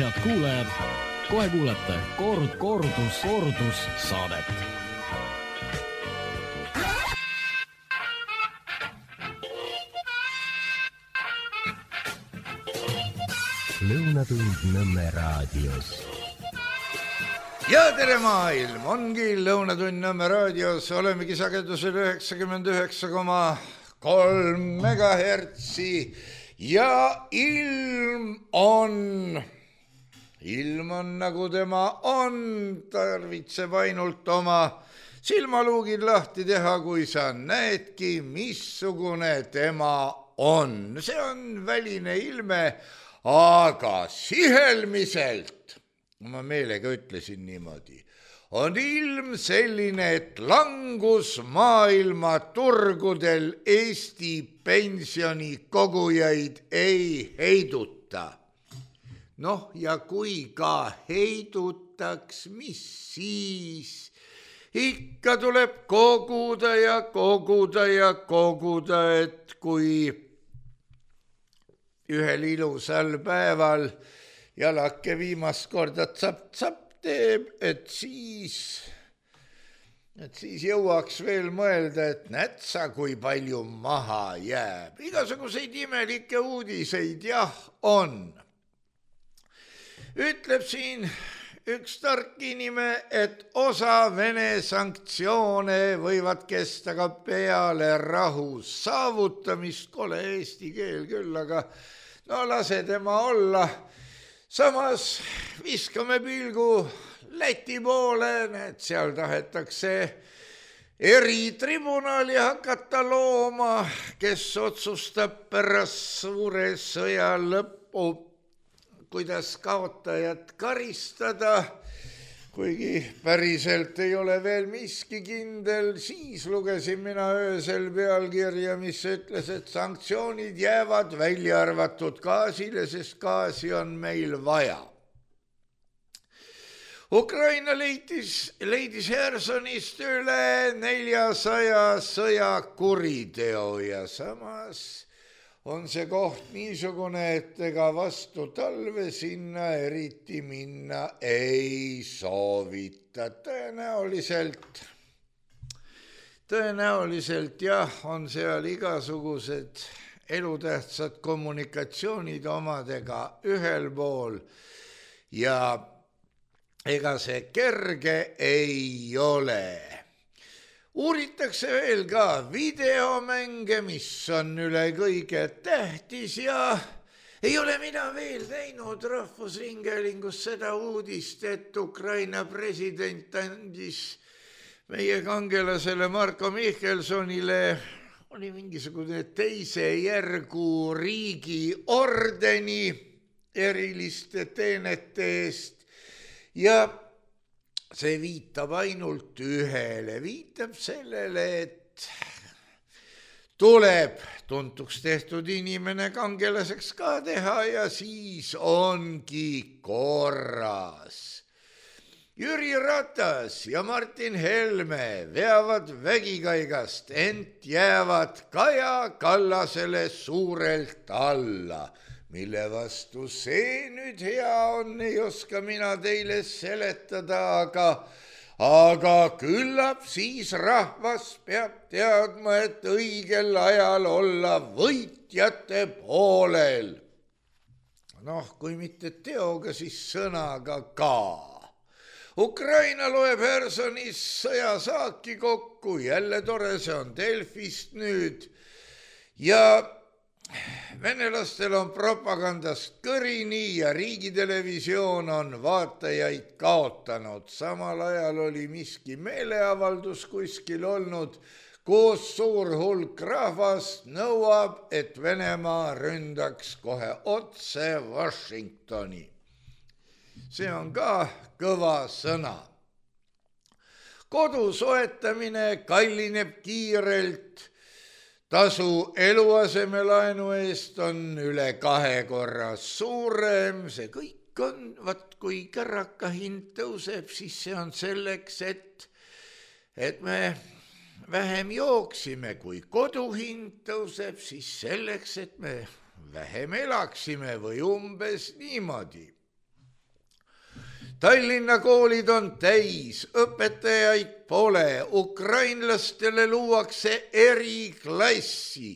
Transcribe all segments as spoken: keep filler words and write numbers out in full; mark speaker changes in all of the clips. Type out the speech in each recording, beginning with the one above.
Speaker 1: head kuulajad, kohe kuulete kord, kordus, kordus saadet.
Speaker 2: Lõunatund Nõmme raadios.
Speaker 3: Ja tere maailm, ongi Lõunatund Nõmme raadios, olemegi sagedusel üheksakümmend üheksa koma kolm megahertsi ja ilm on, ilm on nagu tema on, tarvitseb ainult oma silmaluugid lahti teha, kui sa näedki, missugune tema on. See on väline ilme, aga sihelmiselt, ma meelega ütlesin niimoodi, on ilm selline, et langus maailma turgudel Eesti pensionikogujaid ei heiduta. Noh, ja kui ka heidutaks, mis siis? Ikka tuleb koguda ja koguda ja koguda, et kui ühel ilusal päeval jalake viimast korda tsap-tsap teeb, et siis, et siis jõuaks veel mõelda, et nätsa, kui palju maha jääb. Igasuguseid imelikke uudiseid, jah, on. Ütleb siin üks tark inimene, et osa Vene sanktsioone võivad kesta ka peale rahu saavutamist. Kole eesti keel küll, aga no lase tema olla. Samas viskame pilgu Läti poole, et seal tahetakse eritribunali hakata looma, kes otsustab pärast suure sõja lõppu, kuidas kaotajat karistada, kuigi päriselt ei ole veel miski kindel. Siis lugesin mina öösel pealkirja, mis ütles, et sanktsioonid jäävad välja arvatud gaasile, sest gaasi on meil vaja. Ukraina leidis, leidis Hersonist üle neljasaja sõjakuriteo ja samas on see koht niisugune, et ega vastu talve sinna eriti minna ei soovita. Tõenäoliselt, tõenäoliselt jah, on seal igasugused elutähtsad kommunikatsioonid omadega ühel pool ja ega see kerge ei ole. Uuritakse veel ka videomänge, mis on üle kõige tähtis ja ei ole mina veel näinud Rahvusringhäälingus seda uudist, et Ukraina president andis meie kangelasele Marko Mihkelsonile oli mingisugune teise järgu riigi ordeni eriliste teenete eest ja see viitab ainult ühele, viitab sellele, et tuleb tuntuks tehtud inimene kangelaseks ka teha ja siis ongi korras. Jüri Ratas ja Martin Helme veavad vägikaigast, ent jäävad Kaja Kallasele suurelt alla. Mille vastu see nüüd hea on, ei oska mina teile seletada, aga, aga küllap siis rahvas peab teadma, et õigel ajal olla võitjate poolel. Noh, kui mitte teoga, siis sõnaga ka. Ukraina loeb Hersonis sõjasaaki kokku, jälle tore, see on Delfist nüüd ja venelastel on propagandast kõrini ja riigitelevisioon on vaatajaid kaotanud. Samal ajal oli miski meeleavaldus kuskil olnud, kus suur hulk rahvast nõuab, et Venemaa ründaks kohe otse Washingtoni. See on ka kõva sõna. Kodu soetamine kallineb kiirelt. Tasu eluasemelaenu eest on üle kahe korra suurem, see kõik on, vaat kui kärraka hind tõuseb, siis see on selleks, et, et me vähem jooksime, kui koduhind tõuseb, siis selleks, et me vähem elaksime või umbes niimoodi. Tallinna koolid on täis, õpetajaid pole, ukrainlastele luuakse eriklassi,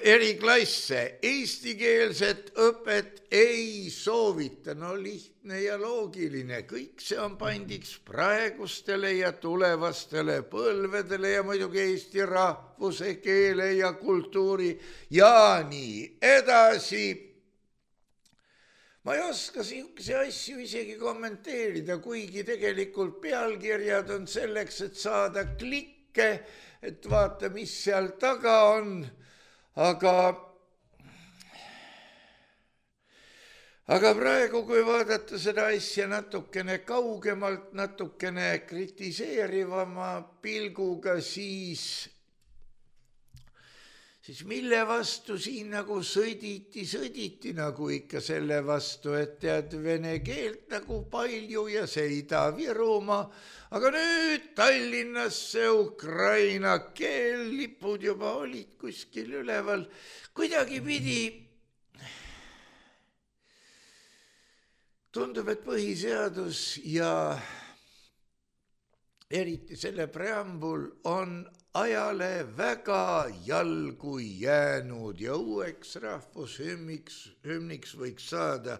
Speaker 3: eriklasse, eestikeelset õpet ei soovita. No lihtne ja loogiline, kõik see on pandiks praegustele ja tulevastele põlvedele ja muidugi eesti rahvuse, keele ja kultuuri ja nii edasi. Ma ei oska siukese asju isegi kommenteerida, kuigi tegelikult pealkirjad on selleks, et saada klikke, et vaata, mis seal taga on, aga, aga praegu, kui vaadata seda asja natukene kaugemalt, natukene kritiseerivama pilguga, siis siis mille vastu siin nagu sõditi, sõditi nagu ikka selle vastu, et tead vene keelt nagu palju ja see Ida-Virumaa, aga nüüd Tallinnasse ukraina keel, lipud juba olid kuskil üleval, kuidagi pidi. Tundub, et põhiseadus ja eriti selle preambul on ajale väga jalgu jäänud ja uueks rahvushümniks hümniks võiks saada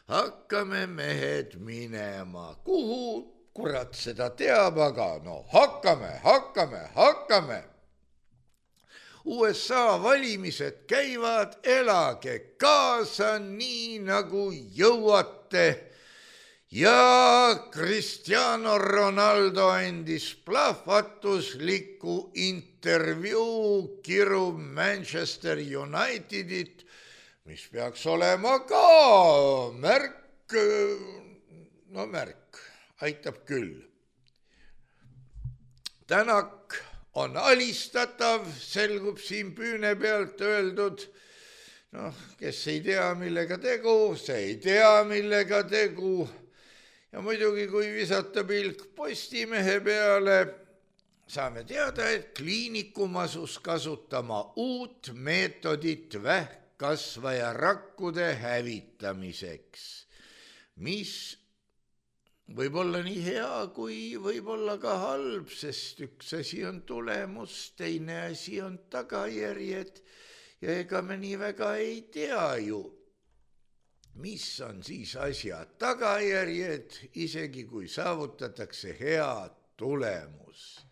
Speaker 3: Hakkame mehed minema. Kuhu kurat seda teab, aga no hakkame, hakkame, hakkame. U S A valimised käivad, elage kaasa nii nagu jõuate. Ja Cristiano Ronaldo andis plahvatusliku intervjuu, kirub Manchester Unitedit, mis peaks olema ka märk, no märk, aitab küll. Tänak on alistatav, selgub siin püüne pealt öeldud. Noh, kes ei tea, millega tegu, see ei tea, millega tegu. Ja muidugi, kui visata pilk Postimehe peale, saame teada, et kliinikum asus kasutama uut meetodit vähkkasvaja rakkude hävitamiseks, mis võib olla nii hea, kui võib olla ka halb, sest üks asi on tulemus, teine asi on tagajärjed ja ega me nii väga ei tea ju, mis on siis asja tagajärjed, isegi kui saavutatakse hea tulemus.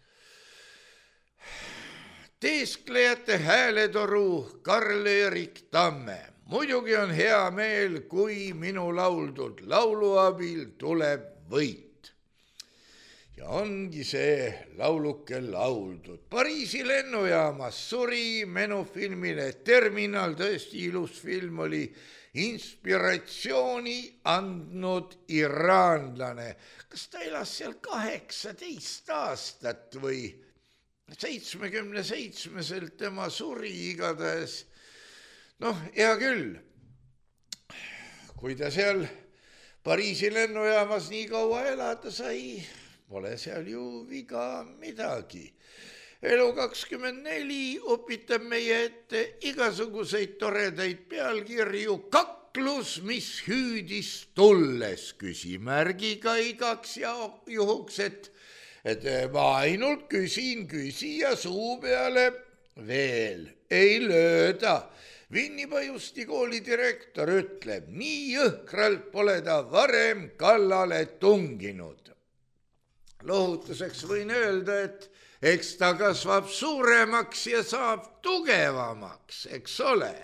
Speaker 3: Teesklejate hääletoru Karl-Erik Tamme. Muidugi on hea meel, kui minu lauldud laulu abil tuleb võit. Ja ongi see lauluke lauldud. Pariisi lennujaamas suri menufilmile Terminal, tõesti ilus film oli, inspiratsiooni andnud iraanlane. Kas ta elas seal kaheksateist aastat või seitsmekümne seitsmeselt tema suri igatahes? Noh, hea küll, kui ta seal Pariisi lennujaamas nii kaua elada sai, pole seal ju viga midagi. Elu kakskümmend neli upitab meie ette igasuguseid toredaid pealkirju, kaklus, mis hüüdis tulles, küsimärgiga igaks ja juhuks, et, et ma ainult küsin küsija suu peale veel ei lööda. Vinnipajusti kooli direktor ütleb, nii jõhkralt pole ta varem kallale tunginud. Lohutuseks võin öelda, et eks ta kasvab suuremaks ja saab tugevamaks, eks ole.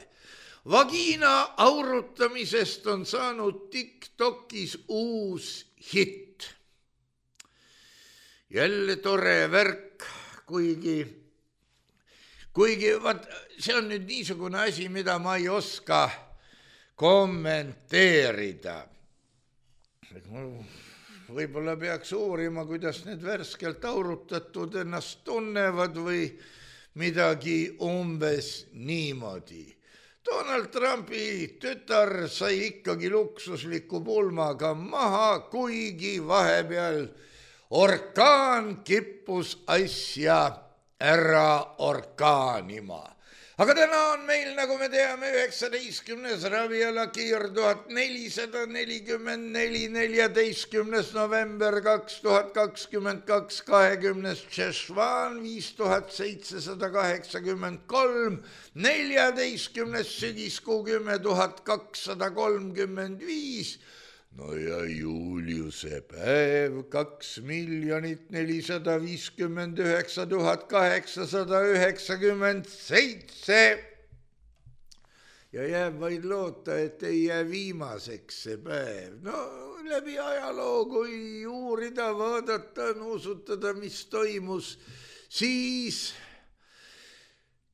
Speaker 3: Vagiina aurutamisest on saanud TikTokis uus hitt. Jälle tore värk, kuigi, kuigi vaat, see on nüüd niisugune asi, mida ma ei oska kommenteerida. Võib-olla peaks uurima, kuidas need värskelt aurutatud ennast tunnevad või midagi umbes niimoodi. Donald Trumpi tütar sai ikkagi luksusliku pulmaga maha, kuigi vahepeal orkaan kippus asja ära orkaanima. aga täna on meil, nagu me teame, üheksateistkümnes raviala kiir tuhat nelisada nelikümmend neli, neljateistkümnes november kaks tuhat kakskümmend kaks, kahekümnes Tšešvan viis tuhat seitsesada kaheksakümmend kolm, neljateistkümnes sügiskuu kümme tuhat kakssada kolmkümmend viis, no ja Juliuse päev kaks miljonit nelisada viiskümmend üheksa tuhat kaheksasada üheksakümmend seitse. ja jääb vaid loota, et ei jää viimaseks see päev. No läbi ajaloo, kui uurida, vaadata, nuusutada, mis toimus, siis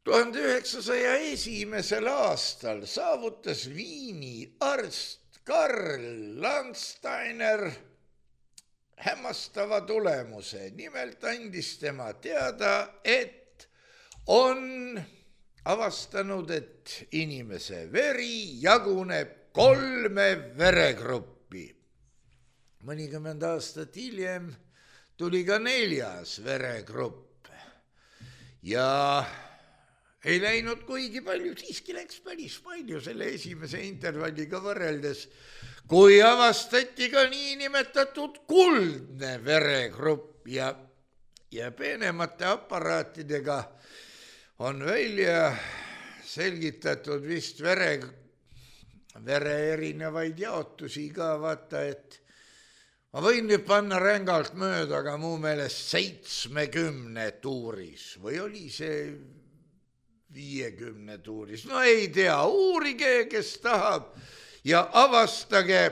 Speaker 3: tuhande üheksasaja esimesel aastal saavutas Viini arst Karl Landsteiner hämmastava tulemuse. Nimelt andis tema teada, et on avastanud, et inimese veri jaguneb kolme veregruppi. Mõnikümmend aastat hiljem tuli ka neljas veregrupp ja ei läinud kuigi palju, siiski läks päris palju selle esimese intervalliga võrreldes, kui avastati ka niinimetatud kuldne veregrupp ja, ja peenemate aparaatidega on välja selgitatud vist vere, vere erinevaid jaotusi ka, vaata, et ma võin nüüd panna rängalt mööda, aga mu meelest seitsmekümne tuuris või oli see viiekümne tuuris, no ei tea, uurige, kes tahab ja avastage,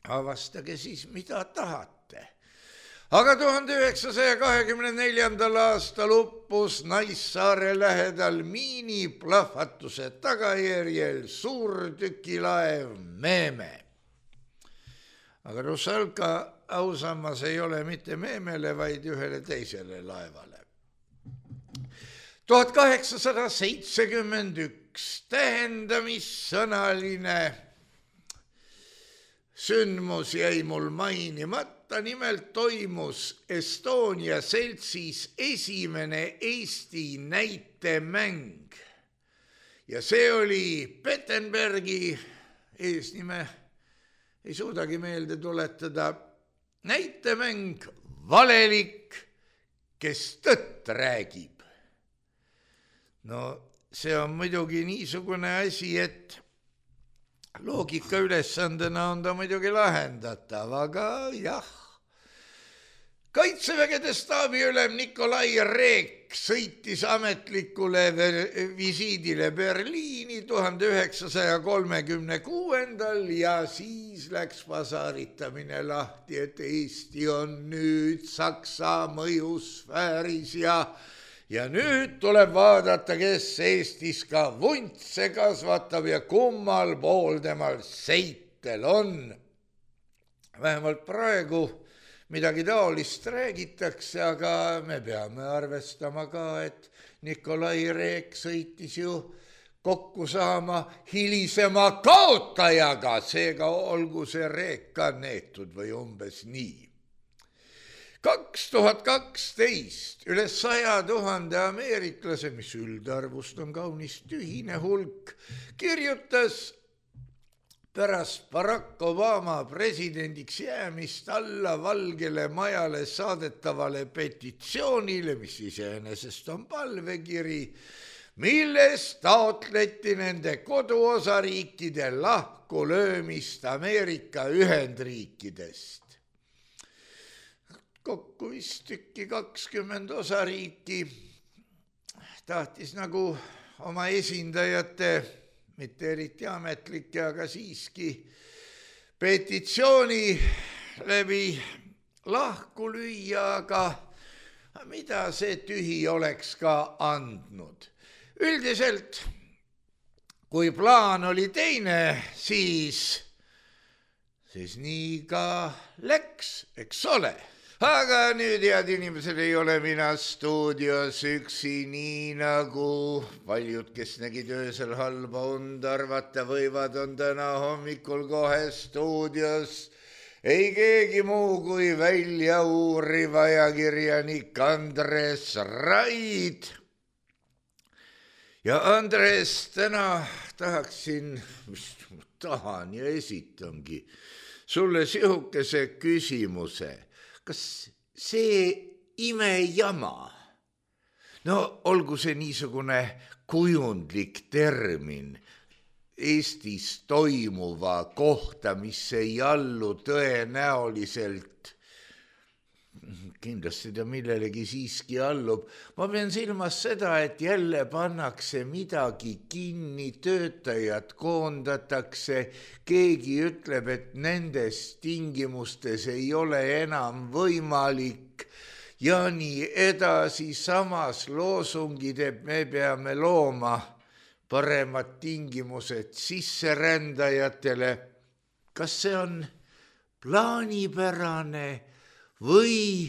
Speaker 3: avastage siis, mida tahate. Aga tuhande üheksasaja kahekümne neljandal aastal uppus Naissaare lähedal miiniplahvatuse tagajärjel suurtükilaev Meeme. Aga Rusalka ausammas ei ole mitte Meemele, vaid ühele teisele laevale. tuhat kaheksasada seitsekümmend üks tähendamissõnaline sündmus jäi mul mainimata, nimelt toimus Estonia seltsis esimene Eesti näitemäng ja see oli Pettenbergi eesnime, ei suudagi meelde tuletada, näitemäng Valelik, kes tõtt räägib. No see on muidugi niisugune asi, et loogika ülesandena on ta muidugi lahendatav, aga jah. Kaitsevägede staabiülem Nikolai Reek sõitis ametlikule visiidile Berliini tuhande üheksasaja kolmekümne kuuendal ja siis läks pasaritamine lahti, et Eesti on nüüd Saksa mõjusfääris ja Ja nüüd tuleb vaadata, kes Eestis ka vuntse kasvatab ja kummal pool temal seitel on. Vähemalt praegu midagi taolist räägitakse, aga me peame arvestama ka, et Nikolai Reek sõitis ju kokku saama hilisema kaotajaga, seega olgu see Reek ka neetud või umbes nii. kaks tuhat kaksteist üle saja tuhande ameeriklase, mis üldarvust on kaunis tühine hulk, kirjutas pärast Barack Obama presidendiks jäämist alla Valgele Majale saadetavale petitsioonile, mis iseenesest on palvekiri, milles taotleti nende koduosariikide lahkulöömist Ameerika Ühendriikidest. Kokku vist tükki kakskümmend osariiki tahtis nagu oma esindajate, mitte eriti ametlike, aga siiski petitsiooni läbi lahku lüüa, aga mida see tühi oleks ka andnud. Üldiselt, kui plaan oli teine, siis, siis nii ka läks, eks ole. Aga nüüd, head inimesed, ei ole mina stuudios üksi, nii nagu paljud, kes nägid öösel halba und, arvata võivad, on täna hommikul kohe stuudios ei keegi muu kui välja uuriv ajakirjanik Andres Raid. ja Andres, täna tahaksin, mis tahan ja esitangi sulle sihukese küsimuse. Kas see imejama, no olgu see niisugune kujundlik termin Eestis toimuva kohta, mis ei allu tõenäoliselt, kindlasti ta millelegi siiski allub. Ma pean silmas seda, et jälle pannakse midagi kinni, töötajad koondatakse, keegi ütleb, et nendes tingimustes ei ole enam võimalik ja nii edasi. Samas loosungid, et me peame looma paremad tingimused sisserändajatele. Kas see on plaanipärane või,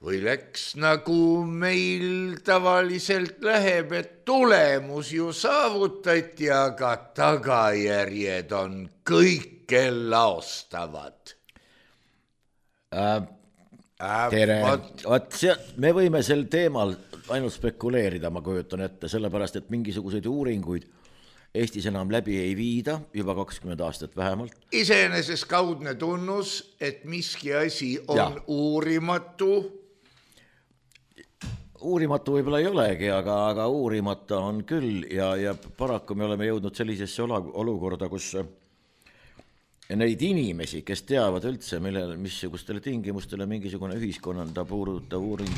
Speaker 3: või läks nagu meil tavaliselt läheb, et tulemus ju saavutati, aga tagajärjed on kõike laostavad?
Speaker 2: Äh, äh, tere, Vat, see, me võime sel teemal ainult spekuleerida, ma kujutan ette, sellepärast, et mingisuguseid uuringuid Eestis enam läbi ei viida, juba kakskümmend aastat vähemalt.
Speaker 3: Iseenesest kaudne tunnus, et miski asi on ja. uurimatu.
Speaker 2: Uurimatu võib-olla ei olegi, aga, aga uurimata on küll ja, ja paraku me oleme jõudnud sellisesse olukorda, kus neid inimesi, kes teavad üldse, millele, missugustele tingimustele mingisugune ühiskonnanda puudutav uuring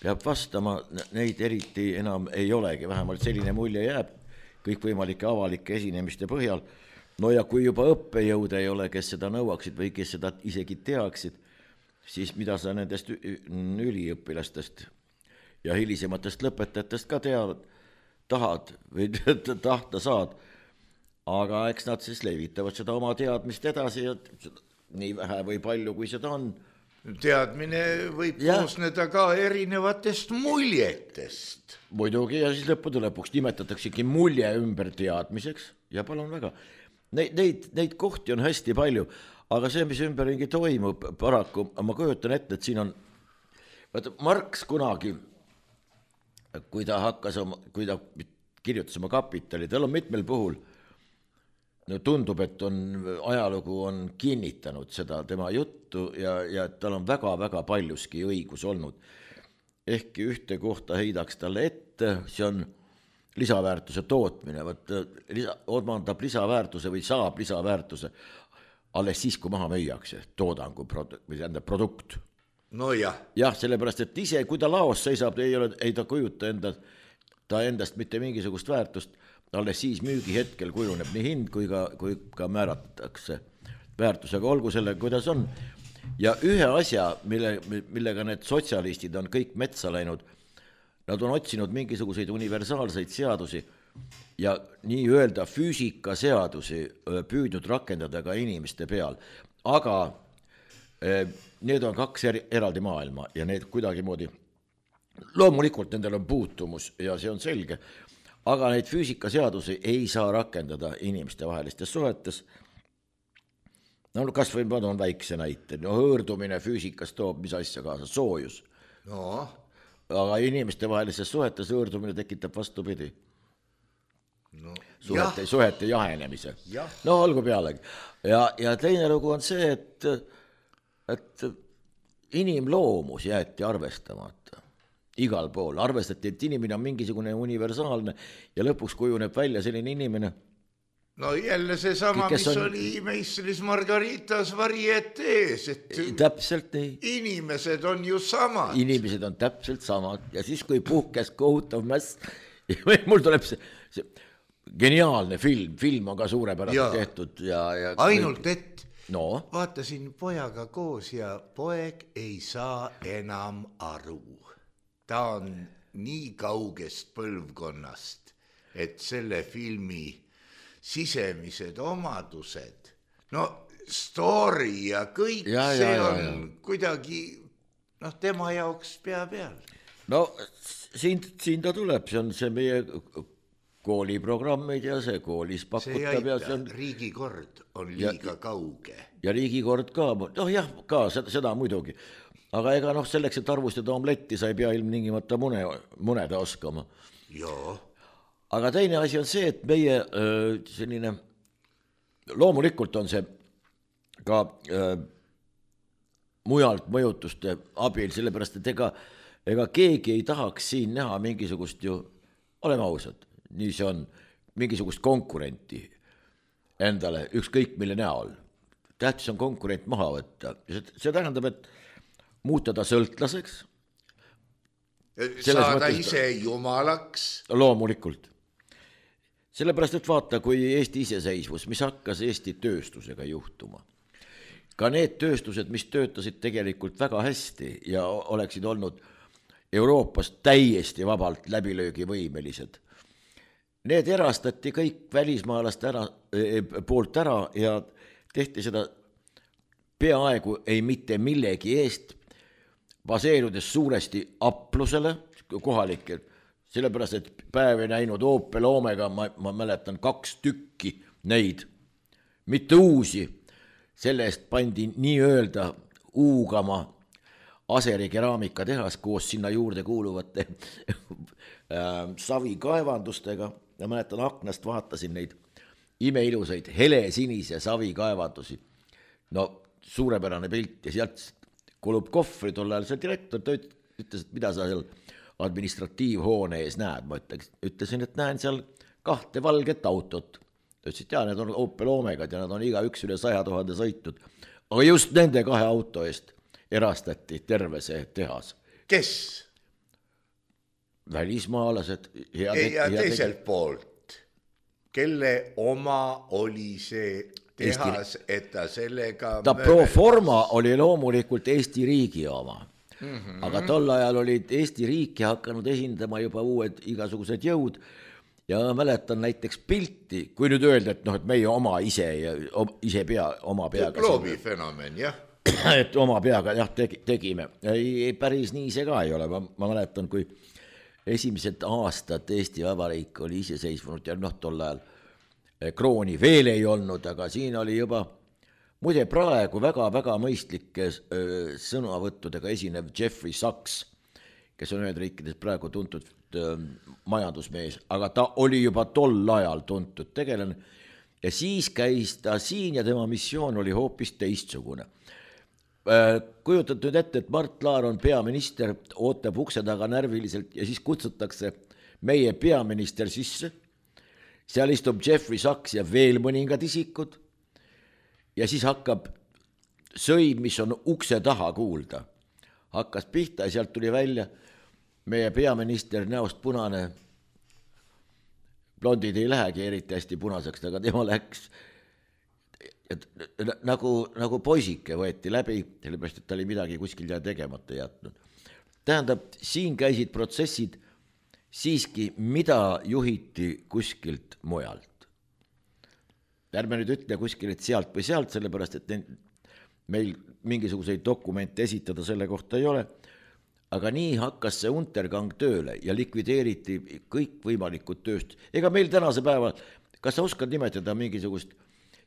Speaker 2: peab vastama, neid eriti enam ei olegi, vähemalt selline mulje jääb kõikvõimalike avalike esinemiste põhjal. No ja kui juba õppejõude ei ole, kes seda nõuaksid või kes seda isegi teaksid, siis mida sa nendest üliõpilastest ja hilisematest lõpetajatest ka teavad, tahad või tahta saad, aga eks nad siis levitavad seda oma teadmist edasi ja nii vähe või palju, kui seda on.
Speaker 3: Teadmine võib ja. koosneda ka erinevatest muljetest.
Speaker 2: Muidugi ja siis lõppude lõpuks nimetataksegi mulje ümber teadmiseks ja palun väga. Neid, neid, neid kohti on hästi palju, aga see, mis ümberringi toimub paraku, ma kujutan ette, et siin on, vaata Marx kunagi, kui ta hakkas, kui ta kirjutas oma kapitali, tal on mitmel puhul, no tundub, et on, ajalugu on kinnitanud seda tema juttu ja, ja tal on väga-väga paljuski õigus olnud. Ehkki ühte kohta heidaks talle ette, see on lisaväärtuse tootmine, võt, lisa, omandab lisaväärtuse või saab lisaväärtuse alles siis, kui maha müüakse toodangu produ, või enda produkt.
Speaker 3: No jah.
Speaker 2: Jah, sellepärast, et ise, kui ta laos seisab, ei, ole, ei ta kujuta enda, ta endast mitte mingisugust väärtust, alles siis müügi hetkel kujuneb nii hind kui ka, kui ka määratakse väärtusega, olgu selle, kuidas on. Ja ühe asja, mille, millega need sotsialistid on kõik metsa läinud, nad on otsinud mingisuguseid universaalseid seadusi ja nii öelda füüsikaseadusi püüdnud rakendada ka inimeste peal. Aga eh, need on kaks er, eraldi maailma ja need kuidagi moodi, loomulikult nendel on puutumus ja see on selge, aga neid füüsikaseadusi ei saa rakendada inimeste vahelistes suhetes. No kas või ma toon väikse näite, no hõõrdumine füüsikas toob mis asja kaasa, soojus.
Speaker 3: No.
Speaker 2: Aga inimeste vahelistes suhetes hõõrdumine tekitab vastupidi.
Speaker 3: No,
Speaker 2: suhete, suhete jahenemise.
Speaker 3: Ja.
Speaker 2: No olgu pealegi. Ja, ja teine lugu on see, et, et inimloomus jäeti arvestamata. Igal pool arvestati, et inimene on mingisugune universaalne ja lõpuks kujuneb välja selline inimene.
Speaker 3: No jälle see sama, mis on... oli meistris Margaritas varietees, et
Speaker 2: täpselt nii.
Speaker 3: Inimesed on ju samad.
Speaker 2: Inimesed on täpselt samad ja siis, kui puhkes kohutav mäss, mul tuleb see, see geniaalne film, film on ka suurepärast ja. tehtud. Ja, ja
Speaker 3: ainult, et
Speaker 2: no.
Speaker 3: vaatasin pojaga koos ja poeg ei saa enam aru. Ta on nii kaugest põlvkonnast, et selle filmi sisemised omadused, no story ja kõik ja, see ja, on ja, ja. kuidagi noh, tema jaoks pea peal.
Speaker 2: No siin, siin ta tuleb, see on see meie kooliprogrammid ja see koolis pakutab.
Speaker 3: See ei aita,
Speaker 2: see on...
Speaker 3: riigikord on liiga ja, kauge.
Speaker 2: Ja riigikord ka, noh jah, ka seda, seda muidugi. Aga ega noh, selleks, et arvustada omletti, sa ei pea ilmtingimata mune, muneda oskama.
Speaker 3: Joo.
Speaker 2: aga teine asi on see, et meie öö, selline, loomulikult on see ka öö, mujalt mõjutuste abil, sellepärast, et ega, ega keegi ei tahaks siin näha mingisugust ju, oleme ausad, nii see on, mingisugust konkurenti endale, ükskõik mille näol. Tähtis on konkurent maha võtta. See tähendab, et muuta ta sõltlaseks.
Speaker 3: Saada ise jumalaks.
Speaker 2: Loomulikult. Sellepärast, et vaata, kui Eesti iseseisvus, mis hakkas Eesti tööstusega juhtuma. Ka need tööstused, mis töötasid tegelikult väga hästi ja oleksid olnud Euroopas täiesti vabalt läbilöögivõimelised. Need erastati kõik välismaalaste ära, poolt ära ja tehti seda peaaegu ei mitte millegi eest, baseerudes suuresti aplusele kohalikel, sellepärast, et päev ei näinud Opel Omega, ma, ma mäletan kaks tükki neid, mitte uusi, selle eest pandi nii öelda uugama Aseri keraamikatehas koos sinna juurde kuuluvate savikaevandustega ja mäletan aknast vaatasin neid imeilusaid helesinise savikaevandusi. No suurepärane pilt ja sealt kulub kohvri tol ajal see direktor, ta ütles, et mida sa seal administratiivhoone ees näed, ma ütlesin, et näen seal kahte valget autot. Ta ütles, et jaa, need on Opel Omegad ja nad on iga üks üle saja tuhande sõitnud, aga just nende kahe auto eest erastati terve see tehas.
Speaker 3: Kes?
Speaker 2: Välismaalased.
Speaker 3: Ja teiselt poolt, kelle oma oli see tehas, Eesti... et ta sellega
Speaker 2: ta möödas. Pro forma oli loomulikult Eesti riigi oma, mm-hmm. aga tol ajal olid Eesti riiki hakanud esindama juba uued igasugused jõud ja mäletan näiteks pilti, kui nüüd öelda, et, noh, et meie oma ise, ise pea, oma peaga.
Speaker 3: Gloobi fenomen, jah.
Speaker 2: Et oma peaga jah, tegi, tegime. Ei, päris nii see ka ei ole. Ma, ma mäletan, kui esimesed aastad Eesti Vabariik oli iseseisvunud ja noh, tol ajal krooni veel ei olnud, aga siin oli juba muide praegu väga-väga mõistlike sõnavõttudega esinev Jeffrey Sachs, kes on ühed riikides praegu tuntud majandusmees, aga ta oli juba tol ajal tuntud tegelane ja siis käis ta siin ja tema missioon oli hoopis teistsugune. Kujutad nüüd ette, et Mart Laar on peaminister, ootab ukse taga närviliselt ja siis kutsutakse meie peaminister sisse. Seal istub Jeffrey Sachs ja veel mõningad isikud ja siis hakkab sõim, mis on ukse taha kuulda. Hakkas pihta ja sealt tuli välja meie peaminister näost punane. Blondid ei lähegi eriti hästi punaseks, aga tema läks et, nagu, nagu poisike võeti läbi, sellepärast, et ta oli midagi kuskil tegemata jätnud. Tähendab, siin käisid protsessid siiski, mida juhiti kuskilt mujalt. Ärme nüüd ütle kuskil, et sealt või sealt, sellepärast, et meil mingisuguseid dokumente esitada selle kohta ei ole, aga nii hakkas see Untergang tööle ja likvideeriti kõik võimalikud tööst. Ega meil tänase päeva, kas sa oskad nimetada mingisugust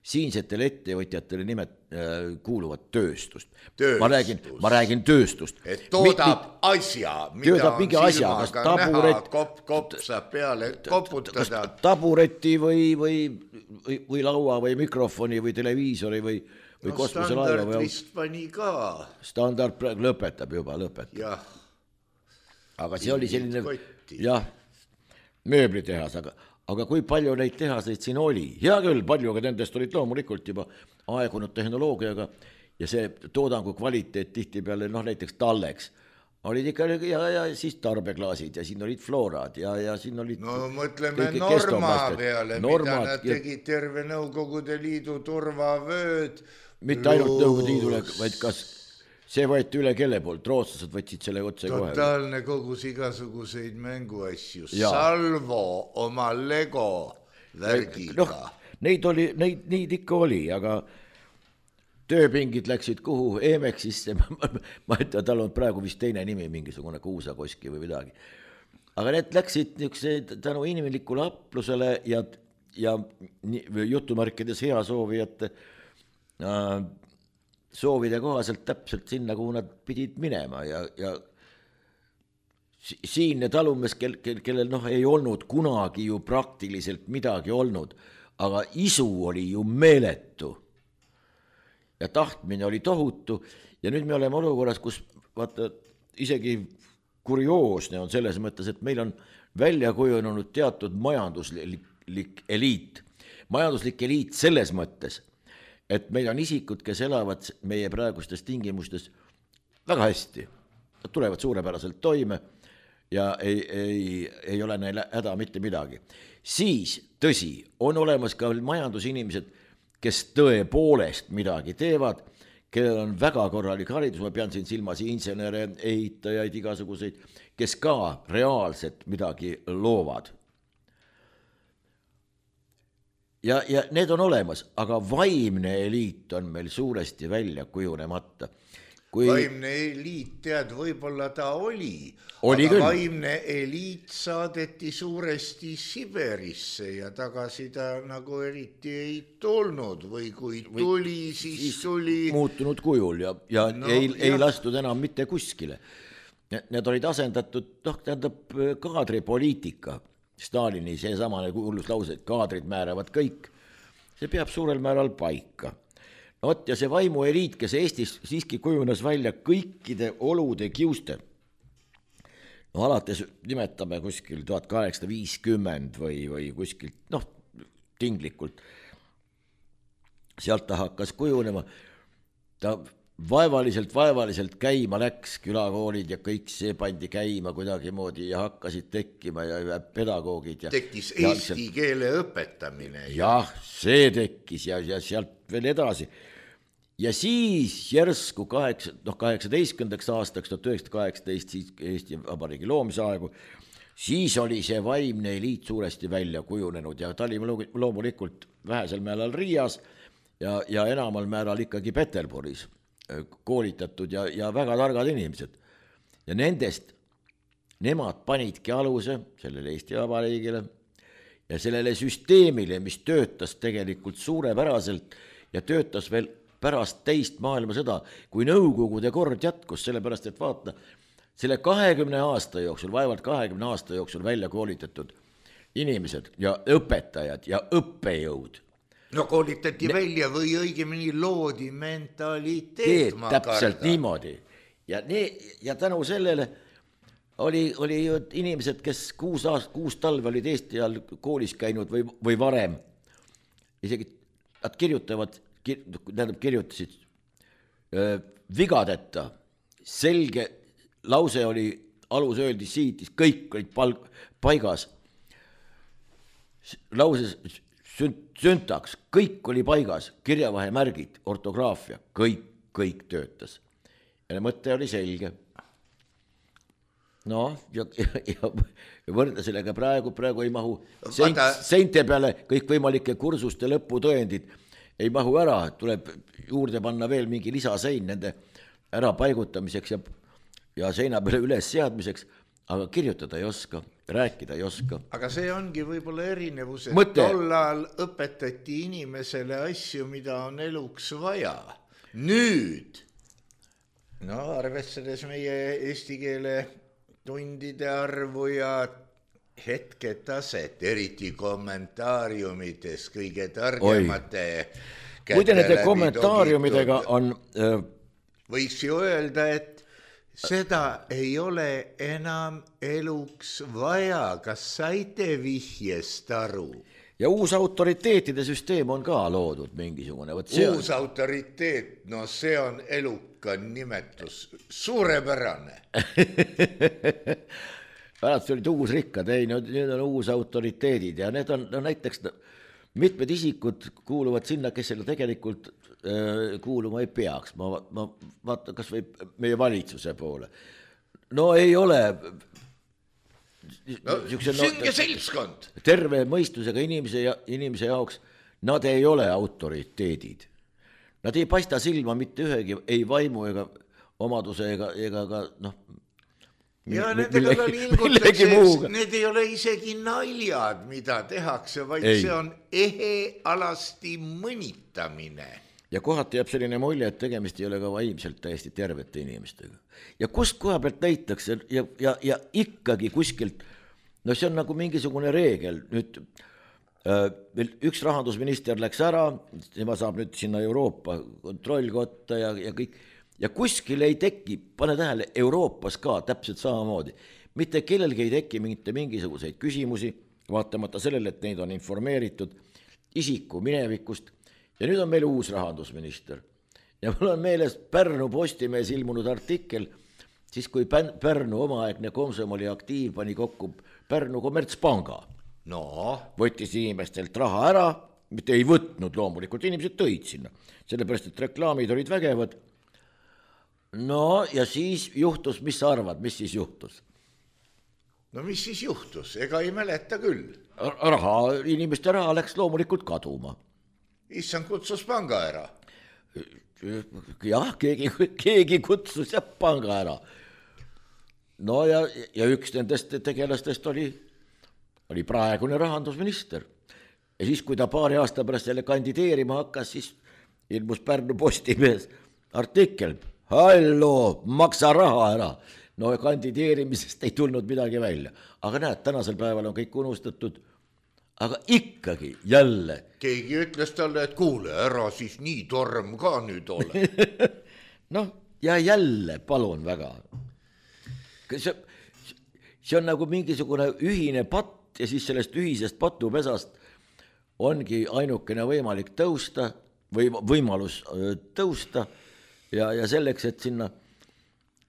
Speaker 2: siinsetele ettevõtjatele nimet äh, kuuluvat tööstust. tööstust. Ma räägin, ma räägin tööstust.
Speaker 3: Et toodab Mi, asja, mida
Speaker 2: toodab
Speaker 3: on silmaga taburet, näha, kopp, kopp saab peale koputada.
Speaker 2: Tabureti või, või, või, või laua või mikrofoni või televiisori või, või
Speaker 3: no standard või... vist pani ka.
Speaker 2: Standard praegu lõpetab juba, lõpetab.
Speaker 3: Jah.
Speaker 2: Aga see oli selline, jah, mööblitehas, aga Aga kui palju neid tehaseid siin oli? Hea küll, palju, aga nendest olid loomulikult juba aegunud tehnoloogiaga ja see toodangu kvaliteet tihti peale, noh näiteks talleks, olid ikka ja, ja siis tarbeklaasid ja siin olid floorad ja, ja siin olid...
Speaker 3: No mõtleme Norma peale, Normad, mida nad tegid terve Nõukogude Liidu turvavööd.
Speaker 2: Mitte ainult Nõukogude Liidule, vaid kas... See võeti üle kelle poolt, rootslased võtsid selle otse kohe.
Speaker 3: Totaalne kogus igasuguseid mänguasju, ja. Salvo oma Lego värgiga.
Speaker 2: No, neid, oli, neid, neid ikka oli, aga tööpingid läksid kuhu Emexisse, ma ütlen, tal on praegu vist teine nimi, mingisugune Kuusakoski või midagi. Aga need läksid niisuguse tänu inimlikule aplusele ja, ja jutumärkides hea soovijate äh, soovide kohaselt täpselt sinna, kuhu nad pidid minema ja, ja siinne talumees, kel, kel, kellel noh, ei olnud kunagi ju praktiliselt midagi olnud, aga isu oli ju meeletu ja tahtmine oli tohutu ja nüüd me oleme olukorras, kus vaata, isegi kurioosne on selles mõttes, et meil on välja kujunenud teatud majanduslik eliit. Majanduslik eliit selles mõttes, et meil on isikud, kes elavad meie praegustes tingimustes väga hästi. Nad tulevad suurepäraselt toime ja ei, ei, ei ole neil häda mitte midagi. Siis, tõsi, on olemas ka majandusinimesed, kes tõepoolest midagi teevad, kellel on väga korralik haridus, ma pean siin silmas insenere, ehitajaid, igasuguseid, kes ka reaalselt midagi loovad. Ja, ja need on olemas, aga vaimne eliit on meil suuresti välja kujunemata. Kui...
Speaker 3: Vaimne eliit, tead, võib-olla ta oli,
Speaker 2: oli
Speaker 3: aga
Speaker 2: küll.
Speaker 3: Vaimne eliit saadeti suuresti Siberisse ja tagasi ta nagu eriti ei tulnud või kui tuli, siis, siis tuli...
Speaker 2: muutunud kujul ja, ja no, ei, ei lastud enam mitte kuskile. Need olid asendatud, noh, tähendab kaadripoliitika. Stalini seesamane kuulus lause, et kaadrid määravad kõik. See peab suurel määral paika. No, ja see vaimu eliit, kes Eestis siiski kujunes välja kõikide olude kiuste. No alates nimetame kuskil tuhat kaheksasada viiskümmend või, või kuskilt, noh, tinglikult. Sealt ta hakkas kujunema. Ta vaevaliselt, vaevaliselt käima läks, külakoolid ja kõik see pandi käima kuidagi moodi ja hakkasid tekkima ja pedagoogid. Ja,
Speaker 3: tekkis eesti ja, keele õpetamine.
Speaker 2: Jah, see tekkis ja, ja sealt veel edasi. Ja siis järsku kaheksa, noh, kaheksateistkümnendaks aastaks, tuhat üheksasada kaheksateist, siis Eesti Vabariigi loomise aegu, siis oli see vaimne eliit suuresti välja kujunenud ja ta oli loomulikult vähesel määral Riias ja, ja enamal määral ikkagi Peterburis koolitatud ja, ja väga targad inimesed. Ja nendest nemad panidki aluse sellele Eesti Vabariigile ja sellele süsteemile, mis töötas tegelikult suurepäraselt ja töötas veel pärast teist maailmasõda, kui Nõukogude kord jätkus, sellepärast et vaata, selle kahekümne aasta jooksul, vaevalt kahekümne aasta jooksul välja koolitatud inimesed ja õpetajad ja õppejõud.
Speaker 3: No koolitati ne... välja või õigemini loodi mentaliteet, ma
Speaker 2: täpselt karda. Niimoodi. Ja, ne... ja tänu sellele oli, oli ju inimesed, kes kuus, aast, kuus talve olid Eesti all koolis käinud või, või varem. Isegi nad kirjutavad, kir... tähendab kirjutasid öö, vigadeta. Selge lause oli, alus öeldi siitis, kõik olid palg... paigas. Lauses süntaks, kõik oli paigas, kirjavahemärgid, ortograafia, kõik, kõik töötas. Ja mõte oli selge. No, ja, ja, ja võrda sellega praegu, praegu ei mahu seint, seinte peale kõik võimalike kursuste lõputõendid ei mahu ära, tuleb juurde panna veel mingi lisasein nende ära paigutamiseks ja, ja seina peale üles seadmiseks, aga kirjutada ei oska, rääkida ei oska.
Speaker 3: Aga see ongi võib-olla erinevus, et
Speaker 2: Mõte.
Speaker 3: tollal õpetati inimesele asju, mida on eluks vaja. Nüüd, no arvestades meie eesti keele tundide arvu ja hetketaset, eriti kommentaariumites kõige targemate
Speaker 2: Muide nende kommentaariumidega on... Äh...
Speaker 3: Võiks ju öelda, et seda ei ole enam eluks vaja. Kas saite vihjest aru?
Speaker 2: Ja uus autoriteetide süsteem on ka loodud mingisugune.
Speaker 3: Uus on... autoriteet, no see on eluka nimetus. Suurepärane.
Speaker 2: Pärast olid uus rikkad, ei, need on uus autoriteedid ja need on no, näiteks mitmed isikud kuuluvad sinna, kes selle tegelikult äh, kuuluma ei peaks. Ma, ma vaatan, kas või meie valitsuse poole. No ei ole...
Speaker 3: No, synge seltskond.
Speaker 2: Terve mõistusega inimese, ja, inimese jaoks nad ei ole autoriteedid. Nad ei paista silma mitte ühegi, ei vaimu ega omaduse ega, ega ka noh,
Speaker 3: ja nendega ka liigutakse, need ei ole isegi naljad, mida tehakse, vaid ei. See on ehe alasti mõnitamine.
Speaker 2: ja kohati jääb selline mulje, et tegemist ei ole ka vaimselt täiesti tervete inimestega. Ja kust koha pealt leitakse ja, ja, ja ikkagi kuskilt, no see on nagu mingisugune reegel, nüüd äh, üks rahandusminister läks ära, tema saab nüüd sinna Euroopa kontrollkotta ja, ja kõik, ja kuskil ei teki, pane tähele, Euroopas ka täpselt samamoodi, mitte kellelgi ei teki mingite mingisuguseid küsimusi, vaatamata sellele, et neid on informeeritud isiku minevikust, ja nüüd on meil uus rahandusminister. Ja mul on meeles Pärnu Postimees ilmunud artikkel, siis kui Pärnu omaaegne Komsomoli aktiiv pani kokku Pärnu Kommertspanga.
Speaker 3: No.
Speaker 2: Võttis inimestelt raha ära, mitte ei võtnud loomulikult, inimesed tõid sinna, sellepärast, et reklaamid olid vägevad. No ja siis juhtus, mis sa arvad, mis siis juhtus?
Speaker 3: No mis siis juhtus, ega ei mäleta küll.
Speaker 2: Raha, inimeste raha läks loomulikult kaduma.
Speaker 3: Issand kutsus panga ära.
Speaker 2: Jah, keegi, keegi kutsus ja panga ära. No ja, ja üks nendest tegelastest oli, oli praegune rahandusminister. Ja siis, kui ta paari aasta pärast jälle kandideerima hakkas, siis ilmus Pärnu Postimees artikkel. Hallo, maksa raha ära. No kandideerimisest ei tulnud midagi välja. Aga näed, tänasel päeval on kõik unustatud. Aga ikkagi jälle.
Speaker 3: Keegi ütles talle, et kuule, ära siis nii torm ka nüüd ole.
Speaker 2: Noh, ja jälle, palun väga. See, see on nagu mingisugune ühine patt ja siis sellest ühisest patupesast ongi ainukene võimalik tõusta või võimalus tõusta ja, ja selleks, et sinna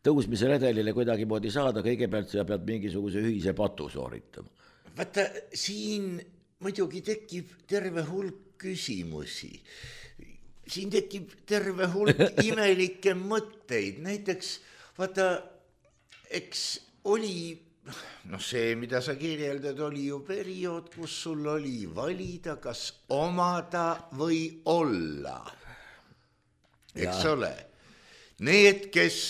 Speaker 2: tõusmise redelile kuidagi moodi saada, kõigepealt sa pead mingisuguse ühise patu sooritama.
Speaker 3: Vaata, siin muidugi tekib terve hulk küsimusi. Siin tekib terve hulk imelikke mõtteid. Näiteks, vaata, eks oli, noh see, mida sa kirjeldad, oli ju periood, kus sul oli valida, kas omada või olla. Eks ja. Ole. Need, kes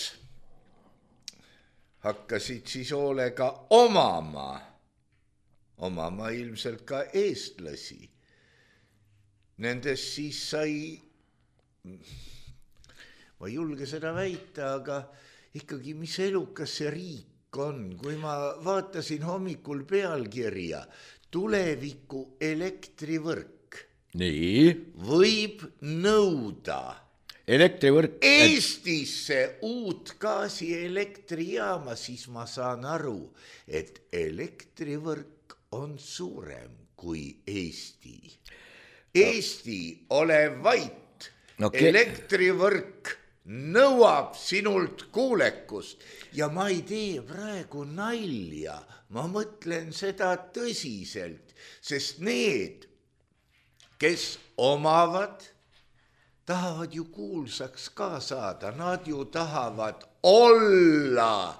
Speaker 3: hakkasid siis hoolega omama, omama ilmselt ka eestlasi. Nendes siis sai, ma ei julge seda väita, aga ikkagi mis elukas see riik on, kui ma vaatasin hommikul pealkirja tuleviku elektrivõrk.
Speaker 2: Nii.
Speaker 3: Võib nõuda
Speaker 2: elektrivõrk
Speaker 3: Eestisse uut gaasi elektrijaama, siis ma saan aru, et elektrivõrk on suurem kui Eesti. Eesti, ole vait, okay. Elektrivõrk nõuab sinult kuulekust ja ma ei tee praegu nalja, ma mõtlen seda tõsiselt, sest need, kes omavad, tahavad ju kuulsaks ka saada, nad ju tahavad olla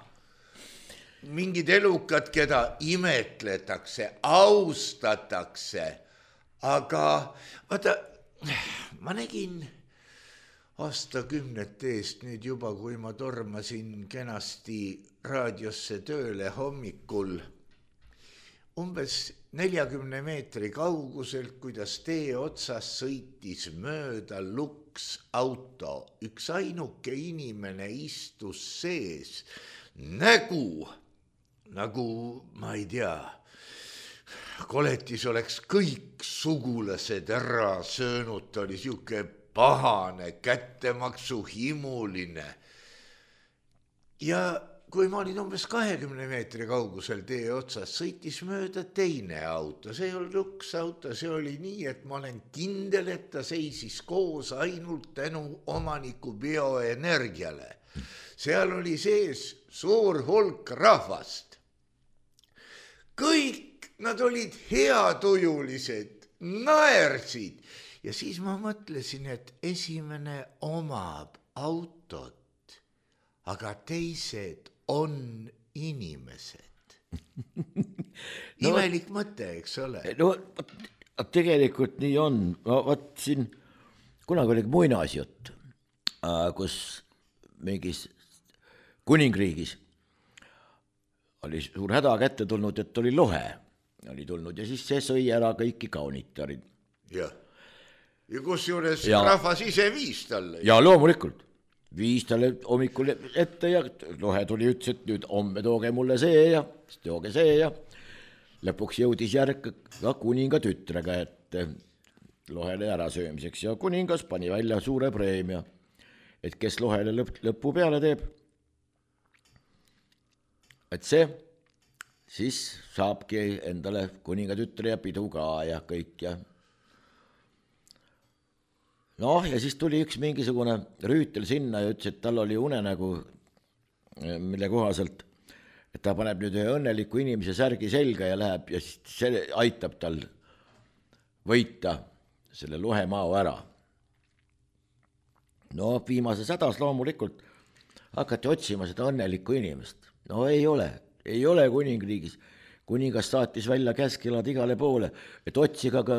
Speaker 3: mingid elukad, keda imetletakse, austatakse, aga vaata, ma nägin aastakümnete eest nüüd juba, kui ma tormasin kenasti raadiosse tööle hommikul, umbes neljakümne meetri kauguselt, kuidas tee otsas sõitis mööda luks auto. Üks ainuke inimene istus sees, nägu, nagu ma ei tea, koletis oleks kõik sugulased ära söönud, ta oli siuke pahane, kättemaksu himuline. Ja kui ma olin umbes kahekümne meetri kaugusel tee otsas, sõitis mööda teine auto. See ei olnud luks auto, see oli nii, et ma olen kindel, et ta seisis koos ainult tänu omaniku bioenergiale. Seal oli sees suur hulk rahvast. Kõik nad olid heatujulised, naersid. Ja siis ma mõtlesin, et esimene omab autot, aga teised on inimesed. No, imelik mõte, eks ole.
Speaker 2: No tegelikult nii on. No, vaat siin kunagi oli muinasjutt, kus mingis kuningriigis oli suur häda kätte tulnud, et oli lohe oli tulnud ja siis see sõi ära kõiki kaunitarid.
Speaker 3: Jah. ja kusjuures
Speaker 2: Ja-
Speaker 3: rahvas ise viis talle.
Speaker 2: ja loomulikult viis talle hommikul ette ja Lohe tuli, ütles, et nüüd homme tooge mulle see ja tooge see ja lõpuks jõudis järg ka kuninga tütrega ette Lohele ärasöömiseks ja kuningas pani välja suure preemia, et kes Lohele lõpp, lõppu peale teeb, et see siis saabki endale kuninga tütre ja pidu ka ja kõik ja noh, ja siis tuli üks mingisugune rüütel sinna ja ütles, et tal oli unenägu, mille kohaselt, et ta paneb nüüd ühe õnneliku inimese särgi selga ja läheb ja siis see aitab tal võita selle Lohe mao ära. No viimases hädas loomulikult hakati otsima seda õnnelikku inimest. No ei ole, ei ole kuningriigis. Kuningas saatis välja käskkelad igale poole, et otsiga ka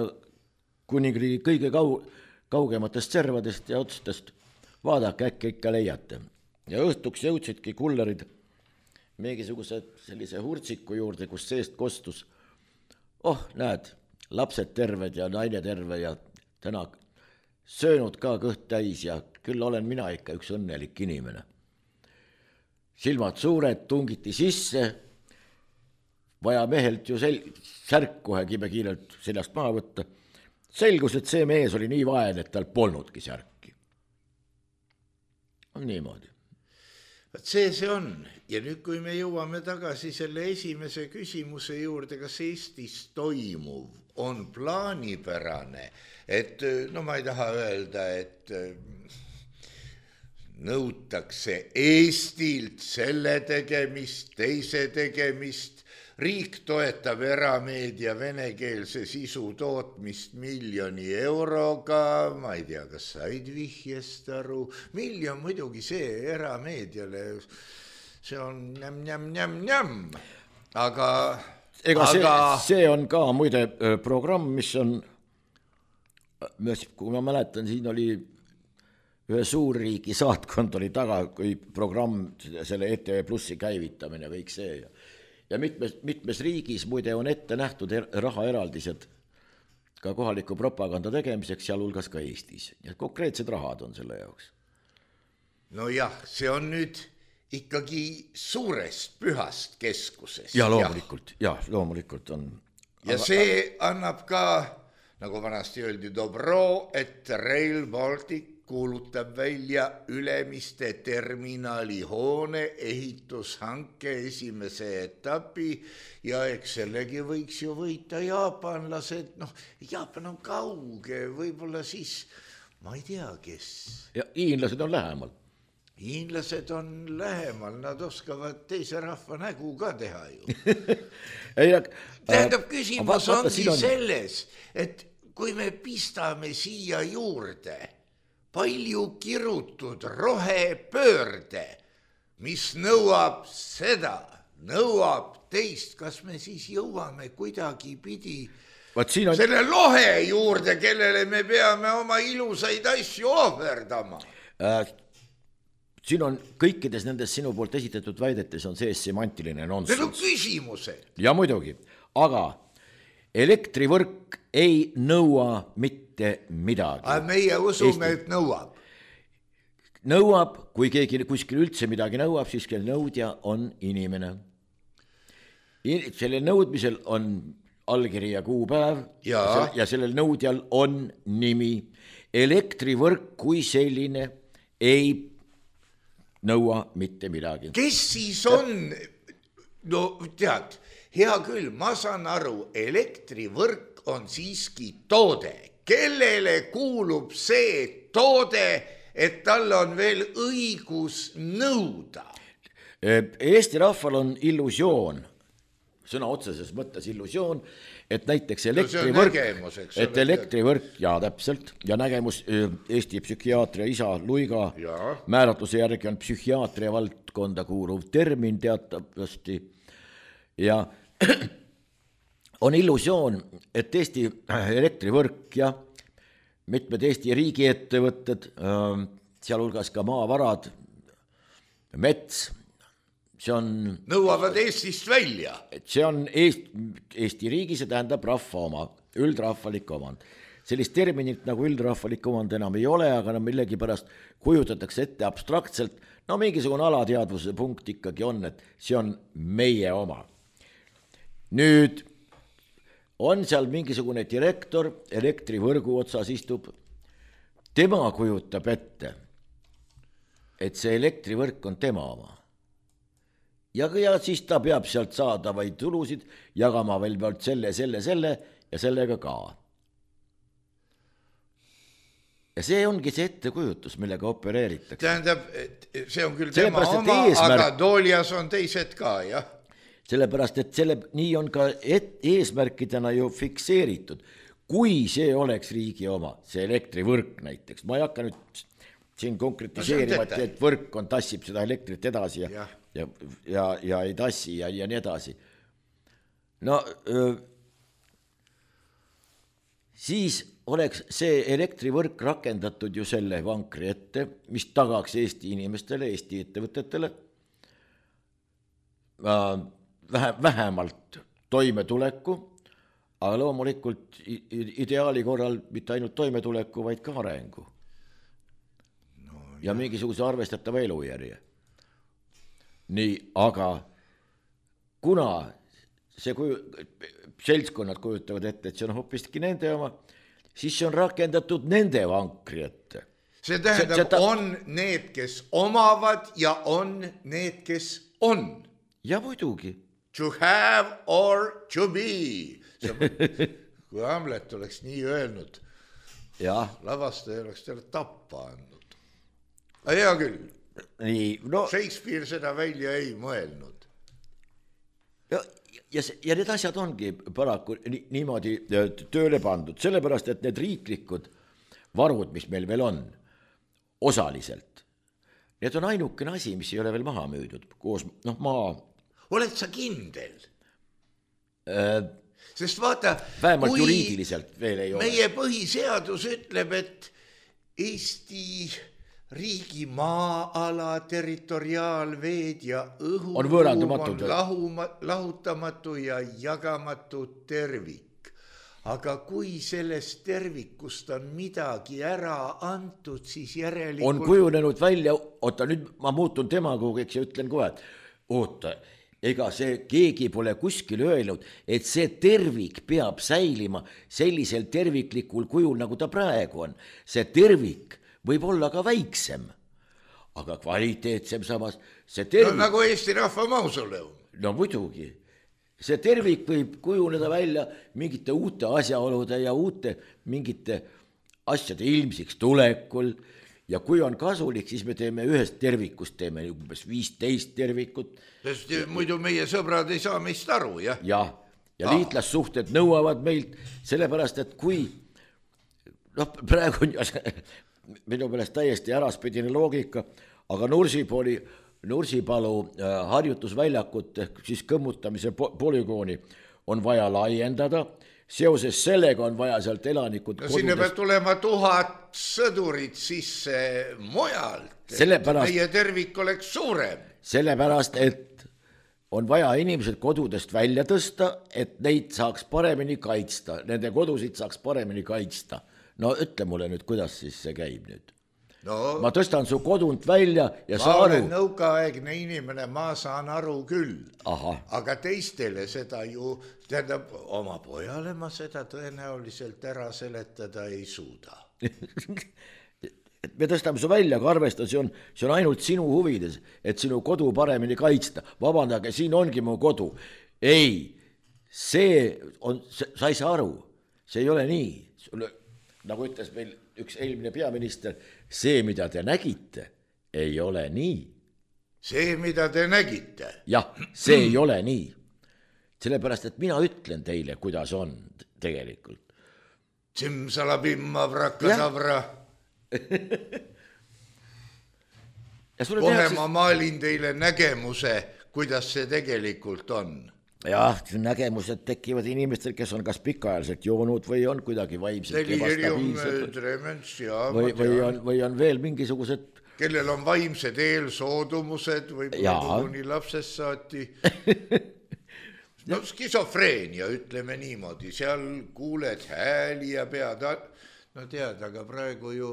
Speaker 2: kuningriigi kõige kau- kaugematest servadest ja otstest vaadake, äkki ikka leiate. Ja õhtuks jõudsidki kullerid mingisuguse sellise hurtsiku juurde, kus seest kostus. Oh, näed, lapsed terved ja naine terve ja täna söönud ka kõht täis ja küll olen mina ikka üks õnnelik inimene. Silmad suured, tungiti sisse, vaja mehelt ju sel- särk kohe kibekiirelt seljast maha võtta. Selgus, et see mees oli nii vaene, et tal polnudki särki. On niimoodi.
Speaker 3: Vaat see see on. Ja nüüd, kui me jõuame tagasi selle esimese küsimuse juurde, kas Eestis toimuv on plaanipärane, et no ma ei taha öelda, et nõutakse Eestilt selle tegemist, teise tegemist, riik toetab erameedia venekeelse sisu tootmist miljoni euroga, ma ei tea, kas said vihjest aru, miljon muidugi see erameediale, see on njam, njam, njam, njam, aga...
Speaker 2: Ega see,
Speaker 3: aga...
Speaker 2: see on ka muide programm, mis on, kui ma mäletan, siin oli ühe suurriigi saatkond oli taga, kui programm, selle E T V Plussi käivitamine, kõik see ja Ja mitmes, mitmes riigis muide on ette nähtud er, rahaeraldised ka kohaliku propaganda tegemiseks, sealhulgas ka Eestis. Ja konkreetsed rahad on selle jaoks.
Speaker 3: No jah, see on nüüd ikkagi suurest pühast keskusest.
Speaker 2: Ja loomulikult, ja, loomulikult on.
Speaker 3: Ja aga... see annab ka, nagu vanasti öeldi, dobro, et Rail Baltic kuulutab välja Ülemiste terminali hoone ehitushanke esimese etapi ja eks sellegi võiks ju võita jaapanlased, noh, Jaapan on kauge, võib-olla siis, ma ei tea, kes.
Speaker 2: Ja hiinlased on lähemal.
Speaker 3: Hiinlased on lähemal, nad oskavad teise rahva nägu ka teha ju.
Speaker 2: Ei,
Speaker 3: Tähendab, küsimus
Speaker 2: vaat, vaat,
Speaker 3: ongi
Speaker 2: on...
Speaker 3: selles, et kui me pistame siia juurde palju kirutud rohepöörde, mis nõuab seda, nõuab teist, kas me siis jõuame kuidagi pidi
Speaker 2: on...
Speaker 3: selle lohe juurde, kellele me peame oma ilusaid asju ohverdama.
Speaker 2: Äh, siin on kõikides nendes sinu poolt esitatud väidetes on sees semantiline nonsense.
Speaker 3: Need on küsimused.
Speaker 2: Ja muidugi, aga elektrivõrk ei nõua mitte midagi.
Speaker 3: Aga meie usume, et nõuab.
Speaker 2: Nõuab, kui keegi kuskil üldse midagi nõuab, siis kell nõudja on inimene. Sellel nõudmisel on allkiri ja kuupäev ja, ja sellel nõudjal on nimi. Elektrivõrk kui selline ei nõua mitte midagi.
Speaker 3: Kes siis on? No tead, hea küll, ma saan aru, elektrivõrk on siiski toode. Kellele kuulub see toode, et tal on veel õigus nõuda?
Speaker 2: Eesti rahval on illusioon, sõna otseses mõttes illusioon, et näiteks elektrivõrk, no et elektrivõrk, ja täpselt, ja nägemus Eesti psühhiaatria isa Luiga ja. Määratluse järgi on psühhiaatria valdkonda kuuluv termin teatavasti ja on illusioon, et Eesti elektrivõrk ja mitmed Eesti riigiettevõtted, sealhulgas ka maavarad, mets, see on...
Speaker 3: Nõuavad Eestist välja.
Speaker 2: See on Eesti, Eesti riigi, see tähendab rahva oma, üldrahvalik omand. sellist terminit nagu üldrahvalik omand enam ei ole, aga no millegipärast kujutatakse ette abstraktselt, no mingisugune alateadvuse punkt ikkagi on, et see on meie oma. Nüüd on seal mingisugune direktor, elektrivõrgu otsas istub, tema kujutab ette, et see elektrivõrk on tema oma. Ja, ja siis ta peab sealt saadavaid tulusid jagama veel pealt selle, selle, selle ja sellega ka. Ja see ongi see ettekujutus, millega opereeritakse.
Speaker 3: Tähendab, see on küll tema oma, eesmärk, aga Toolias on teised ka, jah?
Speaker 2: Sellepärast, et selle, nii on ka et, eesmärkidena ju fikseeritud. Kui see oleks riigi oma, see elektrivõrk näiteks, ma ei hakka nüüd siin konkretiseerima, no, et võrk on, tassib seda elektrit edasi ja, ja. Ja, ja, ja ei tassi ja, ja nii edasi. No öö, siis oleks see elektrivõrk rakendatud ju selle vankri ette, mis tagaks Eesti inimestele, Eesti ettevõtetele vähe, vähemalt toimetuleku, aga loomulikult ideaali korral mitte ainult toimetuleku, vaid ka arengu. No, ja mingisuguse arvestatava elujärje. Nii, aga kuna see kuju, seltskonnad kujutavad ette, et see on hoopiski nende oma, siis see on rakendatud nende vankri ette.
Speaker 3: See tähendab, see, see ta... on need, kes omavad ja on need, kes on.
Speaker 2: Ja muidugi.
Speaker 3: To have or to be. Kui Hamlet oleks nii öelnud,
Speaker 2: ja.
Speaker 3: Lavastaja oleks talle tappa andnud. Aga hea küll.
Speaker 2: Nii, no,
Speaker 3: Shakespeare seda välja ei mõelnud.
Speaker 2: Ja, ja, ja need asjad ongi paraku ni, niimoodi tööle pandud, sellepärast, et need riiklikud varud, mis meil veel on, osaliselt, need on ainukene asi, mis ei ole veel maha müüdud, koos, noh, maa.
Speaker 3: Oled sa kindel?
Speaker 2: Äh,
Speaker 3: Sest vaata,
Speaker 2: vähemalt juriidiliselt veel ei ole.
Speaker 3: Meie põhiseadus ütleb, et Eesti riigi maa-ala, territoriaalveed ja õhu
Speaker 2: on võõrandumatud.
Speaker 3: On lahuma, lahutamatu ja jagamatu tervik. Aga kui sellest tervikust on midagi ära antud, siis järelikult...
Speaker 2: On kujunenud välja, oota nüüd ma muutun demagoogiks ja ütlen kohe, et oota, ega see keegi pole kuskil öelnud, et see tervik peab säilima sellisel terviklikul kujul, nagu ta praegu on. See tervik võib olla ka väiksem, aga kvaliteetsem samas. See tervik...
Speaker 3: No nagu Eesti Rahva Mausoleum.
Speaker 2: No muidugi. See tervik võib kujuneda välja mingite uute asjaolude ja uute mingite asjade ilmsiks tulekul. Ja kui on kasulik, siis me teeme ühest tervikust, teeme umbes viisteist tervikut.
Speaker 3: Sest muidu meie sõbrad ei saa meist aru, jah?
Speaker 2: Ja, ja ah. liitlassuhted nõuavad meilt, sellepärast, et kui, noh, praegu on minu meelest täiesti äraspidine loogika, aga Nursipalu, Nursipalu harjutusväljakut ehk siis kõmmutamise polügooni on vaja laiendada. Seoses sellega on vaja sealt elanikud
Speaker 3: no, kodudest... Sinne peab tulema tuhat sõdurit sisse mujalt,
Speaker 2: sellepärast,
Speaker 3: meie tervik oleks suurem.
Speaker 2: Sellepärast, et on vaja inimesed kodudest välja tõsta, et neid saaks paremini kaitsta, nende kodusid saaks paremini kaitsta. No ütle mulle nüüd, kuidas siis see käib nüüd. No, ma tõstan su kodunt välja ja
Speaker 3: ma
Speaker 2: saa aru.
Speaker 3: Ma olen nõukaaegne inimene, ma saan aru küll.
Speaker 2: Aha.
Speaker 3: Aga teistele seda ju, tähendab, oma pojale ma seda tõenäoliselt ära seletada ei suuda.
Speaker 2: Me tõstame su välja, aga arvesta, see on, see on ainult sinu huvides, et sinu kodu paremini kaitsta. Vabandage, siin ongi mu kodu. Ei, see on, sa ei saa aru, see ei ole nii. Sulle, nagu ütles meil üks eelmine peaminister, see, mida te nägite, ei ole nii.
Speaker 3: See, mida te nägite?
Speaker 2: Jah, see ei ole nii. Sellepärast, et mina ütlen teile, kuidas on tegelikult.
Speaker 3: Tsimsalabimma vrakasavra. kohe
Speaker 2: tehakse...
Speaker 3: ma maalin teile nägemuse, kuidas see tegelikult on.
Speaker 2: Jah, nägemused tekivad inimestel, kes on kas pikaajaliselt joonud või on kuidagi vaimselt
Speaker 3: ebastabiilsed
Speaker 2: või, või, on, või on veel mingisugused
Speaker 3: kellel on vaimsed eelsoodumused või kuni lapsest saati. no skisofreenia, ütleme niimoodi, seal kuuled hääli ja pead, no tead, aga praegu ju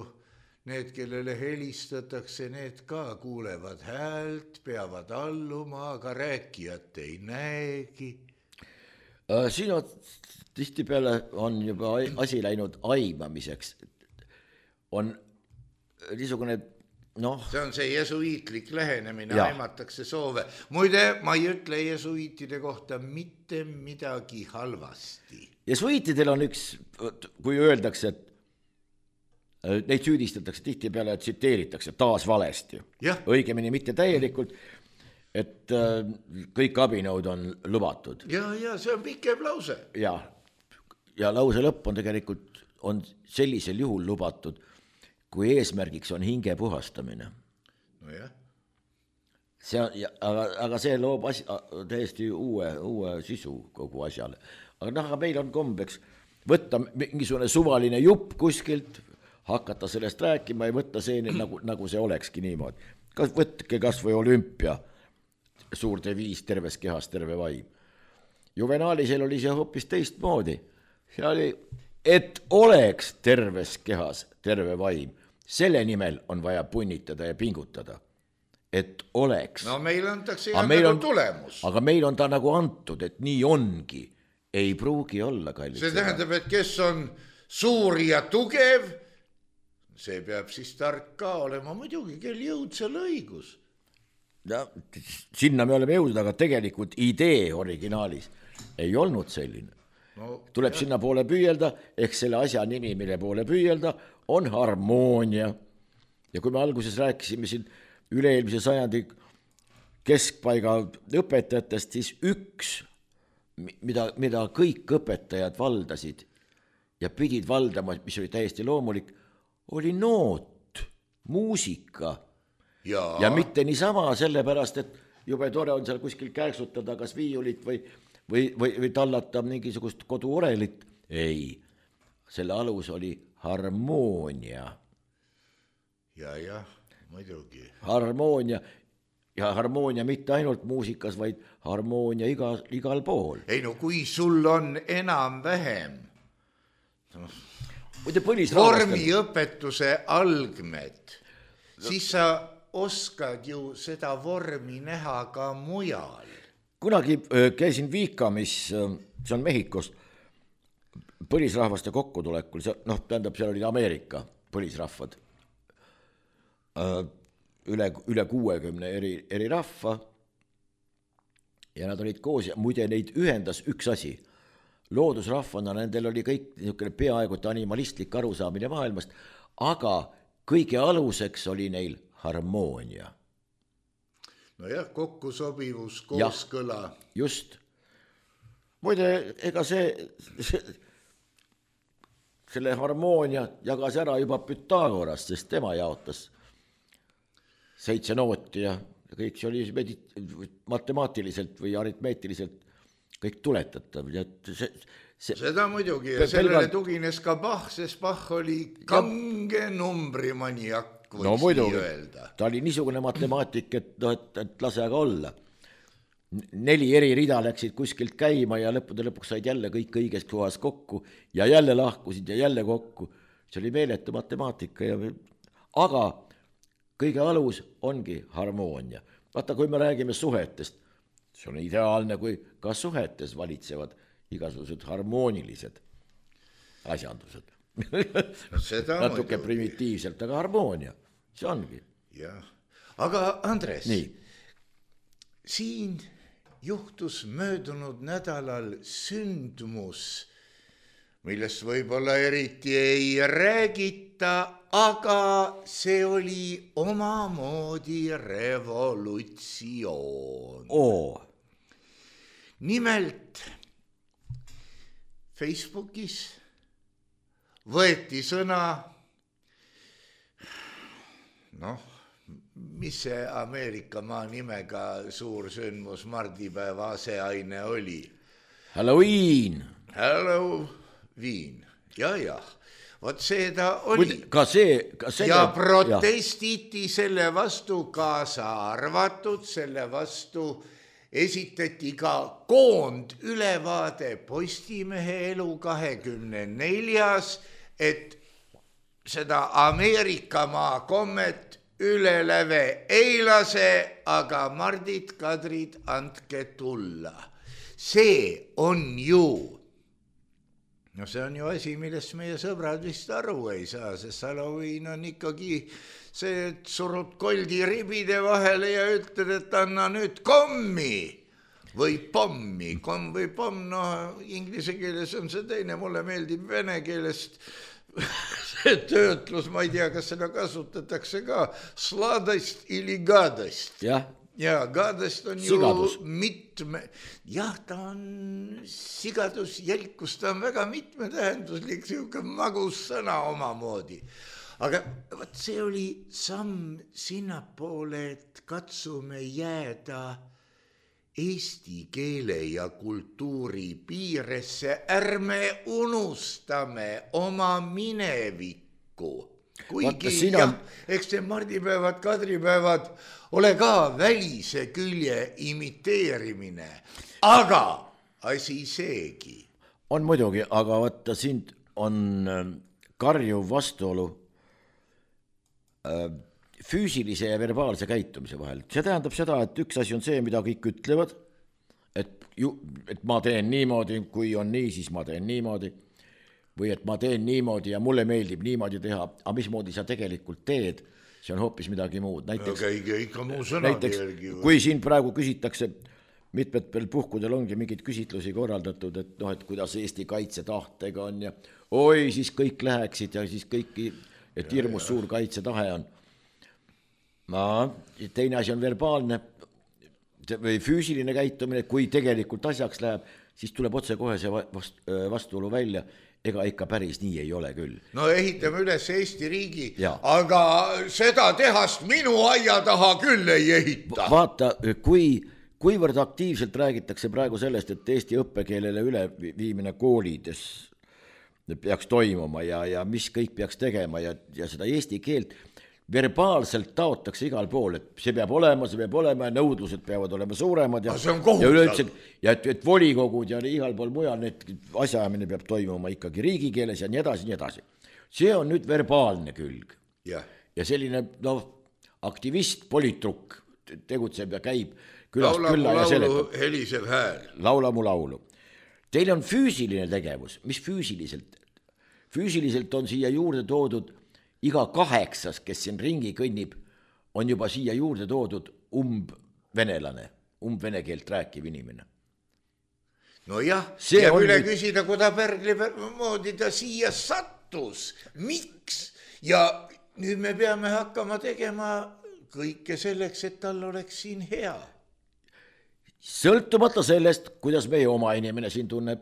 Speaker 3: need, kellele helistatakse, need ka kuulevad häält, peavad alluma, aga rääkijat ei näegi.
Speaker 2: Siin on tihtipeale on juba asi läinud aimamiseks. On niisugune, noh...
Speaker 3: See on see jesuiitlik lähenemine, ja. Aimatakse soove. Muide, ma ei ütle jesuiitide kohta mitte midagi halvasti.
Speaker 2: Jesuiitidel on üks, kui öeldakse, et neid süüdistatakse tihtipeale, et tsiteeritakse taas valesti.
Speaker 3: Ja.
Speaker 2: Õigemini mitte täielikult, et kõik abinõud on lubatud.
Speaker 3: Ja, ja see on pikem lause.
Speaker 2: Ja, ja lause lõpp on tegelikult on sellisel juhul lubatud, kui eesmärgiks on hinge puhastamine.
Speaker 3: No jah.
Speaker 2: See on, aga, aga see loob asi, täiesti uue, uue sisu kogu asjale. Aga, noh, aga meil on kombeks võtta mingisugune suvaline jupp kuskilt, hakata sellest rääkima ja võtta see nagu, nagu see olekski niimoodi. Kas, võtke kas või olümpia, suur deviis terves kehas terve vaim. Juvenaalisel oli see hoopis teistmoodi. See oli, et oleks terves kehas terve vaim. Selle nimel on vaja punnitada ja pingutada. Et oleks.
Speaker 3: No meil antakse jah nagu on, tulemus.
Speaker 2: Aga meil on ta nagu antud, et nii ongi. Ei pruugi olla, kallid.
Speaker 3: See tähendab, et kes on suur ja tugev, see peab siis tark ka olema. Muidugi, kel jõud seal õigus.
Speaker 2: Ja, sinna me oleme jõudnud, aga tegelikult idee originaalis ei olnud selline. No, tuleb jah. Sinna poole püüelda, ehk selle asja nimi, mille poole püüelda, on harmoonia. Ja kui me alguses rääkisime siin üle-eelmise sajandi keskpaiga õpetajatest, siis üks, mida, mida kõik õpetajad valdasid ja pidid valdama, mis oli täiesti loomulik, oli noot, muusika. Ja, ja mitte niisama sellepärast, et jube tore on seal kuskil käeksutada kas viiulit või, või, või, või tallata mingisugust koduorelit. Ei, selle alus oli harmoonia.
Speaker 3: Ja, ja, muidugi.
Speaker 2: Harmoonia, ja harmoonia mitte ainult muusikas, vaid harmoonia iga, igal pool.
Speaker 3: Ei no kui sul on enam vähem no, vormiõpetuse algmed, no, siis sa oskad ju seda vormi näha ka mujal.
Speaker 2: Kunagi käisin Viikamis, see on Mehhikost, põlisrahvaste kokkutulekul, noh, tähendab, seal oli Ameerika põlisrahvad, üle, üle kuuekümne eri, eri rahva ja nad olid koos ja muide neid ühendas üks asi. Loodusrahvana nendel oli kõik niisugune peaaegu animalistlik arusaamine maailmast, aga kõige aluseks oli neil harmoonia.
Speaker 3: No jah, kokkusobivus, kooskõla.
Speaker 2: Ja, just. Muide, ega see, see, selle harmoonia jagas ära juba Pythagoras, sest tema jaotas seitse nooti ja kõik see oli medit- matemaatiliselt või aritmeetiliselt kõik tuletatav. See, see,
Speaker 3: seda muidugi ja sellele pelgalt... tugines ka Bach, sest Bach oli kange numbrimaniak.
Speaker 2: No muidugi, ta oli niisugune matemaatik, et, no, et, et lase aga olla. Neli eri rida läksid kuskilt käima ja lõppude lõpuks said jälle kõik õiges kohas kokku ja jälle lahkusid ja jälle kokku. See oli meeletu matemaatika. Ja... Aga kõige alus ongi harmoonia. Vaata, kui me räägime suhetest, see on ideaalne, kui ka suhetes valitsevad igasugused harmoonilised asjandused. Natuke primitiivselt, aga harmoonia, see ongi.
Speaker 3: Jah. Aga Andres,
Speaker 2: nii.
Speaker 3: Siin juhtus möödunud nädalal sündmus, millest võib-olla eriti ei räägita, aga see oli omamoodi revolutsioon.
Speaker 2: Oo.
Speaker 3: Nimelt Facebookis võeti sõna, noh, mis see Ameerika maa nimega suur sündmus mardipäeva aseaine oli?
Speaker 2: Halloween.
Speaker 3: Halloween, ja, ja, vot see ta oli.
Speaker 2: Ka see, ka see
Speaker 3: ja protestiti ja. Selle vastu kaasa arvatud, selle vastu, esitati ka koondülevaade Postimehe elu kahekümne neljas, et seda Ameerikamaa kommet üle läve ei lase, aga Mardid, Kadrid, andke tulla. See on ju, no see on ju asi, millest meie sõbrad vist aru ei saa, sest Halloween on ikkagi see, et surud koldi ribide vahele ja ütled, et anna nüüd kommi või pommi. Komm või pomm, no inglise keeles on see teine, mulle meeldib vene keelest see töötlus, ma ei tea, kas seda kasutatakse ka, sladast ili gadast.
Speaker 2: jah.
Speaker 3: Ja gadast on
Speaker 2: Sigadus.
Speaker 3: ju mitme, jah, ta on sigadus, jälkus, ta on väga mitmetähenduslik, siuke magus sõna omamoodi. Aga võt, see oli samm sinnapoole, et katsume jääda eesti keele ja kultuuri piiresse, ärme unustame oma minevikku. Kuigi
Speaker 2: sina...
Speaker 3: jah, eks see mardipäevad, kadripäevad ole ka välise külje imiteerimine, aga asi seegi.
Speaker 2: On muidugi, aga vaata sind on karjuv vastuolu füüsilise ja verbaalse käitumise vahel. See tähendab seda, et üks asi on see, mida kõik ütlevad, et, ju, et ma teen niimoodi, kui on nii, siis ma teen niimoodi, või et ma teen niimoodi ja mulle meeldib niimoodi teha, aga mismoodi sa tegelikult teed, see on hoopis midagi muud. Näiteks,
Speaker 3: aga ikka, ikka muu sõnade järgi.
Speaker 2: Kui siin praegu küsitakse, mitmetel puhkudel ongi mingid küsitlusi korraldatud, et noh, et kuidas Eesti kaitsetahtega on ja oi, siis kõik läheksid ja siis kõiki, et hirmus suur kaitsetahe on. Ma, teine asi on verbaalne või füüsiline käitumine, kui tegelikult asjaks läheb, siis tuleb otse kohe see vastuolu välja, ega ikka päris nii ei ole küll.
Speaker 3: No ehitame üles Eesti riigi,
Speaker 2: ja.
Speaker 3: Aga seda tehast minu aia taha küll ei ehita.
Speaker 2: Vaata, kui, kuivõrd aktiivselt räägitakse praegu sellest, et Eesti õppekeelele üleviimine koolides peaks toimuma ja, ja mis kõik peaks tegema ja, ja seda eesti keelt verbaalselt taotakse igal pool, et see peab olema, see peab olema ja nõudlused peavad olema suuremad ja, ja üleüldse, ja et, et volikogud ja igal pool mujal need asjaajamine peab toimuma ikkagi riigikeeles ja nii edasi, nii edasi. See on nüüd verbaalne külg.
Speaker 3: Ja,
Speaker 2: ja selline no, aktivist, politrukk tegutseb ja käib külast
Speaker 3: laula
Speaker 2: külla
Speaker 3: mu
Speaker 2: ja
Speaker 3: laulu,
Speaker 2: seletab.
Speaker 3: helisev hääl.
Speaker 2: Laula mu laulu. Teil on füüsiline tegevus, mis füüsiliselt? Füüsiliselt on siia juurde toodud iga kaheksas, kes siin ringi kõnnib, on juba siia juurde toodud umbvenelane, umbvene keelt rääkiv inimene.
Speaker 3: No jah, ja üle nüüd... küsida, kui ta Pärgli moodi ta siia sattus, miks? Ja nüüd me peame hakkama tegema kõike selleks, et tal oleks siin hea.
Speaker 2: Sõltumata sellest, kuidas meie oma inimene siin tunneb,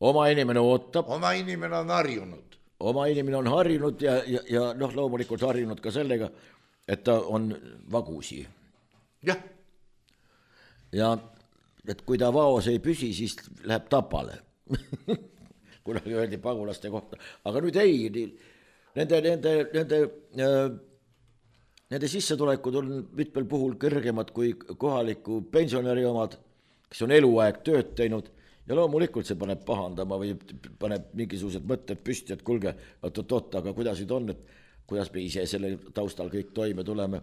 Speaker 2: oma inimene ootab.
Speaker 3: Oma inimene on harjunud.
Speaker 2: Oma inimene on harjunud ja, ja, ja noh, loomulikult harjunud ka sellega, et ta on vagusi.
Speaker 3: Jah.
Speaker 2: Ja et kui ta vaos ei püsi, siis läheb tapale. Kunagi öeldi pagulaste kohta. Aga nüüd ei, nende, nende, nende, nende sissetulekud on mitmel puhul kõrgemad kui kohaliku pensionäri omad, kes on eluaeg tööd teinud. Ja loomulikult see paneb pahandama või paneb mingisugused mõtted püsti, et kulge, oot-oot, aga kuidas nüüd on, et kuidas me ise selle taustal kõik toime tuleme.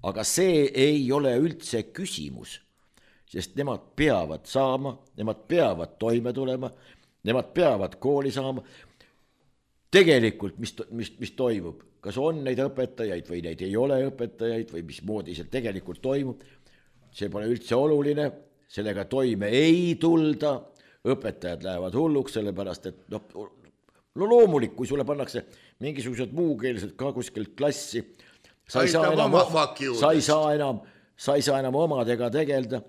Speaker 2: Aga see ei ole üldse küsimus, sest nemad peavad saama, nemad peavad toime tulema, nemad peavad kooli saama. Tegelikult, mis, mis, mis toimub, kas on neid õpetajaid või neid ei ole õpetajaid või mis moodi see tegelikult toimub, see pole üldse oluline, sellega toime ei tulda. Õpetajad lähevad hulluks, sellepärast, et no, no loomulik, kui sulle pannakse mingisugused muukeelsed ka kuskilt klassi, sa ei, saa enam, sa, ei saa enam, sa ei saa enam omadega tegelda.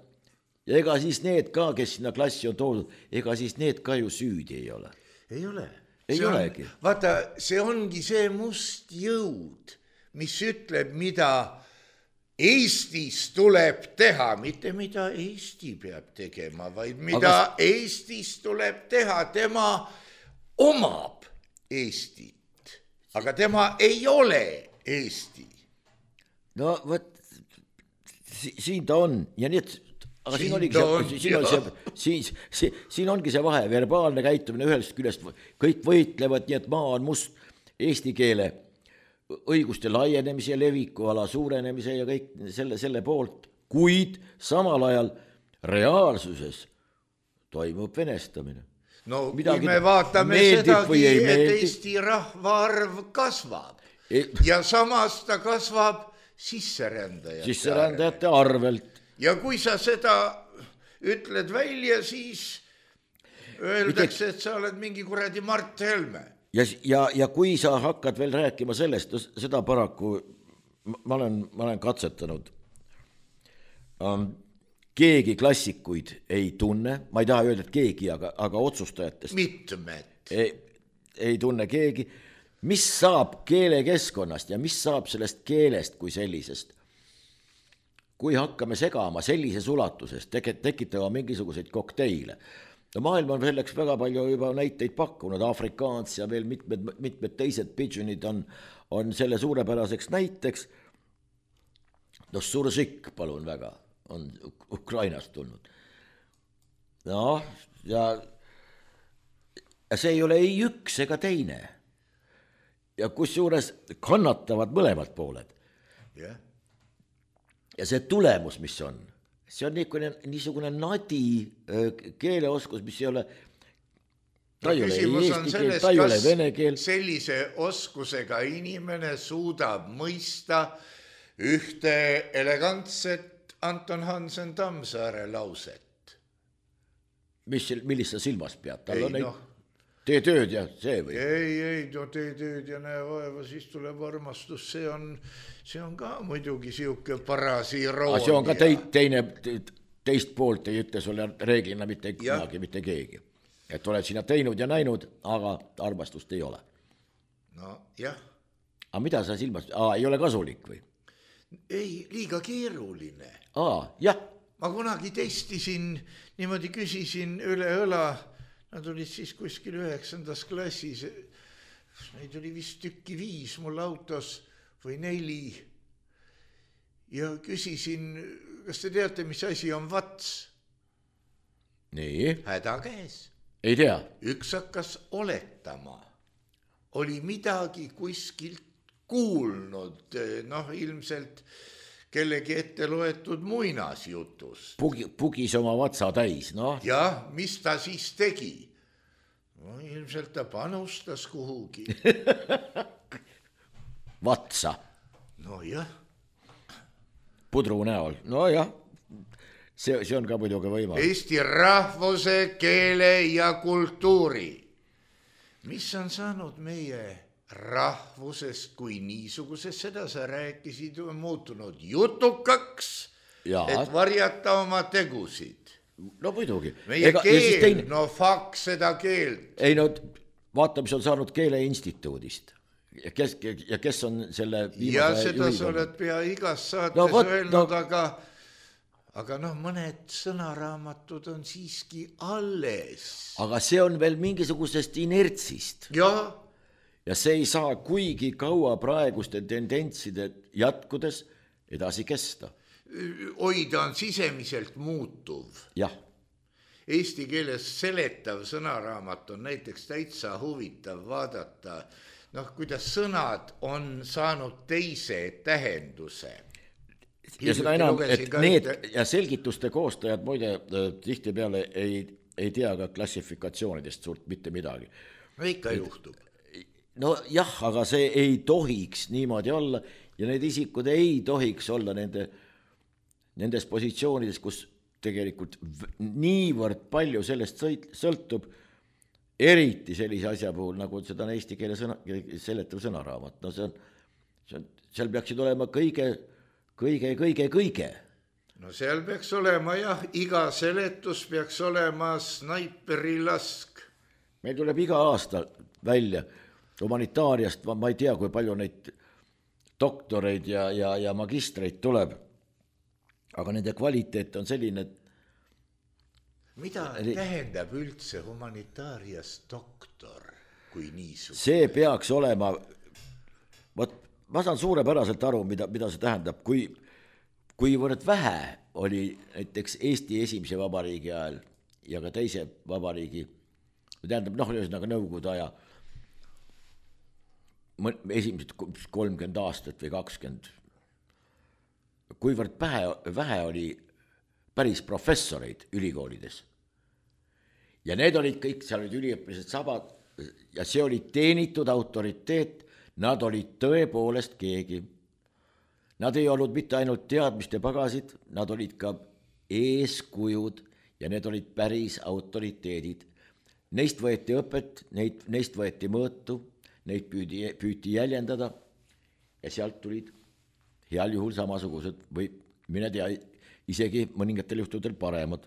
Speaker 2: Ja ega siis need ka, kes sinna klassi on toodud, ega siis need ka ju süüdi ei ole.
Speaker 3: Ei ole.
Speaker 2: Ei
Speaker 3: see
Speaker 2: olegi.
Speaker 3: On, vaata, see ongi see must jõud, mis ütleb, mida Eestis tuleb teha, mitte mida Eesti peab tegema, vaid mida aga... Eestis tuleb teha, tema omab Eestit, aga tema ei ole Eesti.
Speaker 2: No võt, siin ta on ja nii, et aga siin oligi see, siin, oli see, siin, siin, siin ongi see vahe, verbaalne käitumine ühest küljest, kõik võitlevad, nii et maa on must, eesti keele õiguste laienemise ja leviku ala suurenemise ja kõik selle, selle poolt, kuid samal ajal reaalsuses toimub venestamine.
Speaker 3: No
Speaker 2: midagi
Speaker 3: kui me vaatame sedagi, et Eesti rahvaarv kasvab e ja samas ta kasvab sisserändajate,
Speaker 2: sisserändajate arvelt.
Speaker 3: Ja kui sa seda ütled välja, siis öeldakse, et sa oled mingi kuradi Mart Helme.
Speaker 2: Ja, ja, ja kui sa hakkad veel rääkima sellest, seda paraku ma olen, ma olen katsetanud. Um, keegi klassikuid ei tunne, ma ei taha öelda, et keegi, aga, aga otsustajatest
Speaker 3: mitmed
Speaker 2: ei, ei tunne keegi, mis saab keelekeskkonnast ja mis saab sellest keelest kui sellisest. Kui hakkame segama sellises ulatuses, tekitama mingisuguseid kokteile. No maailm on selleks väga palju juba näiteid pakkunud, afrikaans ja veel mitmed, mitmed teised pidžunid on, on selle suurepäraseks näiteks. No Sursik, palun väga, on Ukrainast tulnud. No, ja, ja see ei ole ei üks ega teine. Ja kusjuures kannatavad mõlemad pooled.
Speaker 3: Yeah.
Speaker 2: Ja see tulemus, mis on, see on niisugune, niisugune nadi keeleoskus, mis ei ole, ta ei ole eesti keel, ta ei ole vene keel.
Speaker 3: Sellise oskusega inimene suudab mõista ühte elegantset Anton Hansen Tammsaare lauset.
Speaker 2: Mis, millist sa silmas pead? Tal
Speaker 3: ei,
Speaker 2: on neid,
Speaker 3: no.
Speaker 2: Tee tööd ja see või?
Speaker 3: Ei, ei, no tee tööd ja näe vaeva, siis tuleb armastus. See on, see on ka muidugi siuke parasi iroonia.
Speaker 2: See on ka te, teine, teist poolt ei ütle sulle reeglina mitte kunagi, mitte keegi. Et oled sinna teinud ja näinud, aga armastust ei ole.
Speaker 3: No jah.
Speaker 2: Aga mida sa silmas? Aa, ei ole kasulik või?
Speaker 3: Ei, liiga keeruline.
Speaker 2: Aa, jah.
Speaker 3: Ma kunagi testisin, niimoodi küsisin üle õla, nad olid siis kuskil üheksandas klassis, neid oli vist tükki viis mul autos või neli. Ja küsisin, kas te teate, mis asi on vats?
Speaker 2: Nii.
Speaker 3: Häda käes.
Speaker 2: Ei tea.
Speaker 3: Üks hakkas oletama. Oli midagi kuskilt kuulnud, noh ilmselt kellegi ette loetud muinasjutust.
Speaker 2: Pugi, pugis oma vatsa täis, noh.
Speaker 3: Ja, mis ta siis tegi? No, ilmselt ta panustas kuhugi.
Speaker 2: Vatsa.
Speaker 3: No jah.
Speaker 2: Pudru näol, no jah. See, see on ka muidugi võimalik.
Speaker 3: Eesti rahvuse, keele ja kultuuri. Mis on saanud meie rahvusest kui niisugusest, seda sa rääkisid, on muutunud jutukaks, ja. Et varjata oma tegusid.
Speaker 2: No muidugi.
Speaker 3: Meie Ega, keel, teine... no fakt seda keelt.
Speaker 2: Ei no, vaata, mis on saanud Keeleinstituudist. Ja kes, ja kes on selle viimase
Speaker 3: ja seda sa oled pea igas saates no, võt, öelnud, no... aga, aga noh, mõned sõnaraamatud on siiski alles. Aga
Speaker 2: see on veel mingisugusest inertsist.
Speaker 3: Jah.
Speaker 2: Ja see ei saa kuigi kaua praeguste tendentside jätkudes edasi kesta.
Speaker 3: Oida on sisemiselt muutuv.
Speaker 2: Jah.
Speaker 3: Eesti keeles seletav sõnaraamat on näiteks täitsa huvitav vaadata, noh, kuidas sõnad on saanud teise tähenduse.
Speaker 2: Ja seda enam, et need ühte... ja selgituste koostajad muide tihti peale ei, ei tea ka klassifikatsioonidest suurt mitte midagi.
Speaker 3: No ikka et, juhtub.
Speaker 2: No jah, aga see ei tohiks niimoodi olla ja need isikud ei tohiks olla nende, nendes positsioonides, kus tegelikult niivõrd palju sellest sõltub, eriti sellise asja puhul, nagu seda on eesti keele sõna, seletav sõnaraamat. No see on, see on, seal peaksid olema kõige, kõige, kõige, kõige.
Speaker 3: No seal peaks olema jah, iga seletus peaks olema snaiperi lask.
Speaker 2: Meil tuleb iga aasta välja humanitaariast, ma ei tea, kui palju neid doktoreid ja, ja, ja magistreid tuleb, aga nende kvaliteet on selline, et
Speaker 3: mida tähendab üldse humanitaarias doktor kui niisugune?
Speaker 2: See peaks olema, võt, ma saan suurepäraselt aru, mida, mida see tähendab, kui, kuivõrd vähe oli näiteks Eesti esimese vabariigi ajal ja ka teise vabariigi, tähendab noh, ühesõnaga Nõukogude aja esimesed kolmkümmend aastat või kakskümmend, kuivõrd vähe, vähe oli päris professoreid ülikoolides. Ja need olid kõik, seal olid üliõpilased sabad ja see oli teenitud autoriteet, nad olid tõepoolest keegi. Nad ei olnud mitte ainult teadmiste pagasid, nad olid ka eeskujud ja need olid päris autoriteedid. Neist võeti õpet, neid, neist võeti mõõtu, neid püüdi, püüti jäljendada ja sealt tulid heal juhul samasugused või mine tea, isegi mõningatel juhtudel paremad.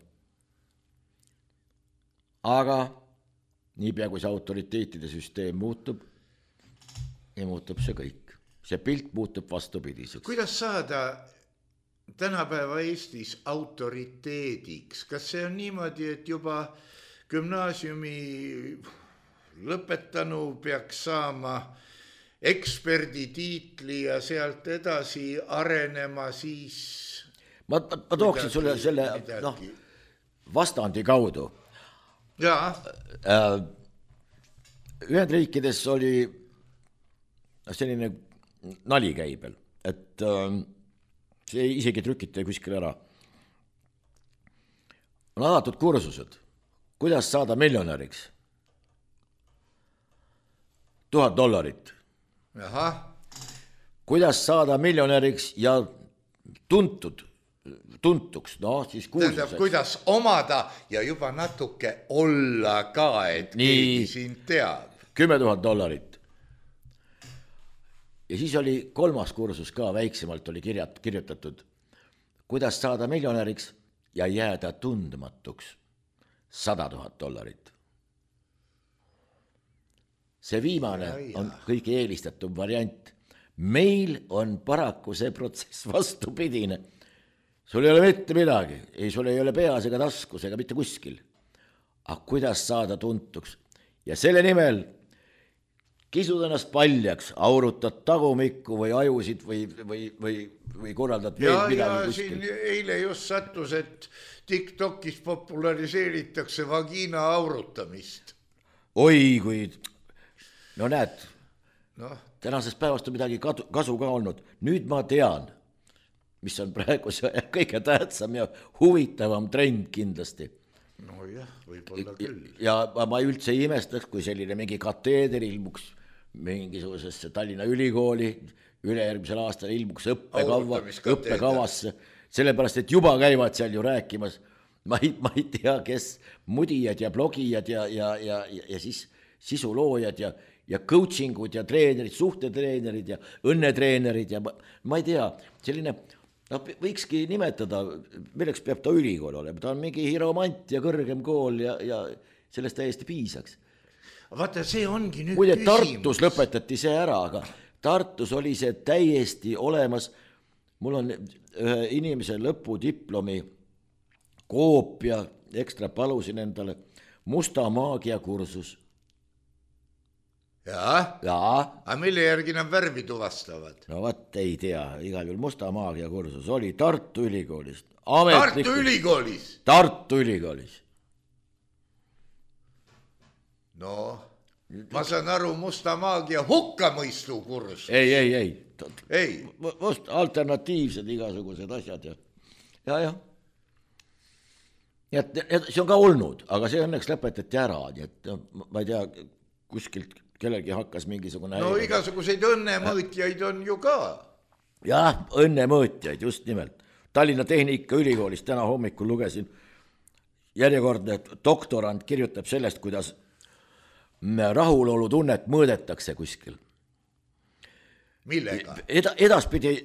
Speaker 2: Aga niipea kui see autoriteetide süsteem muutub, ja muutub see kõik. See pilt muutub vastupidiseks.
Speaker 3: Kuidas saada tänapäeva Eestis autoriteediks? Kas see on niimoodi, et juba gümnaasiumi lõpetanu peaks saama eksperditiitli ja sealt edasi arenema siis?
Speaker 2: Ma, ma, ma tooksin sulle selle no, vastandi kaudu.
Speaker 3: Jaa.
Speaker 2: Ühendriikides oli selline nali käibel, et see isegi trükiti kuskil ära. On alatud kursused, kuidas saada miljonäriks. Tuhat dollarit.
Speaker 3: Aha.
Speaker 2: Kuidas saada miljonäriks ja tuntud, tuntuks, no siis kursuseks.
Speaker 3: Tähendab, kuidas omada ja juba natuke olla ka, et nii, keegi sind teab.
Speaker 2: Kümme tuhat dollarit. Ja siis oli kolmas kursus ka, väiksemalt oli kirjat, kirjutatud, kuidas saada miljonäriks ja jääda tundmatuks. Sada tuhat dollarit. See viimane on kõige eelistatum variant. Meil on paraku see protsess vastupidine. Sul ei ole mitte midagi, ei, sul ei ole peas ega taskus ega mitte kuskil. Aga kuidas saada tuntuks? Ja selle nimel kisud ennast paljaks, aurutad tagumikku või ajusid või, või, või, või korraldad veel
Speaker 3: ja,
Speaker 2: midagi
Speaker 3: ja
Speaker 2: kuskil.
Speaker 3: Siin eile just sattus, et TikTokis populariseeritakse vagiina aurutamist.
Speaker 2: Oi, kui... No näed,
Speaker 3: no.
Speaker 2: Tänasest päevast on midagi kasu ka olnud. Nüüd ma tean, mis on praegu see kõige tähtsam ja huvitavam trend kindlasti.
Speaker 3: No jah, võib-olla küll.
Speaker 2: Ja ma üldse ei imestaks, kui selline mingi kateeder ilmuks mingisugusesse Tallinna ülikooli, ülejärgmisel aastal ilmuks õppekava, õppekavasse, sellepärast, et juba käivad seal ju rääkimas, ma ei, ma ei tea, kes mudijad ja blogijad ja, ja, ja, ja siis sisuloojad ja, ja coachingud ja treenerid, suhtetreenerid ja õnnetreenerid ja ma, ma ei tea, selline, no võikski nimetada, milleks peab ta ülikool olema, ta on mingi hiromant ja kõrgem kool ja, ja sellest täiesti piisaks.
Speaker 3: Vaata, see ongi nüüd
Speaker 2: Muide,
Speaker 3: küsimus.
Speaker 2: Tartus lõpetati see ära, aga Tartus oli see täiesti olemas. Mul on ühe inimese lõpudiplomi koopia, ekstra palusin endale, musta maagia kursus.
Speaker 3: Jaa,
Speaker 2: Jaa.
Speaker 3: aga mille järgi nad värvi tuvastavad?
Speaker 2: No vaat ei tea, igal juhul musta maagia kursus oli Tartu Ülikoolist.
Speaker 3: Tartu Ülikoolis?
Speaker 2: Tartu Ülikoolis.
Speaker 3: No, ma saan aru, musta maagia hukkamõistu kursus.
Speaker 2: Ei, ei, ei.
Speaker 3: Ei.
Speaker 2: Must alternatiivsed igasugused asjad ja, ja, ja. Ja see on ka olnud, aga see õnneks lõpetati ära, nii et ma ei tea, kuskilt kellelgi hakkas mingisugune...
Speaker 3: No igasuguseid õnnemõõtjaid on ju ka.
Speaker 2: Jah, õnnemõõtjaid, just nimelt. Tallinna Tehnika Ülikoolis täna hommikul lugesin järjekordne doktorant kirjutab sellest, kuidas rahulolu tunnet mõõdetakse kuskil.
Speaker 3: Millega?
Speaker 2: Eda, edaspidi,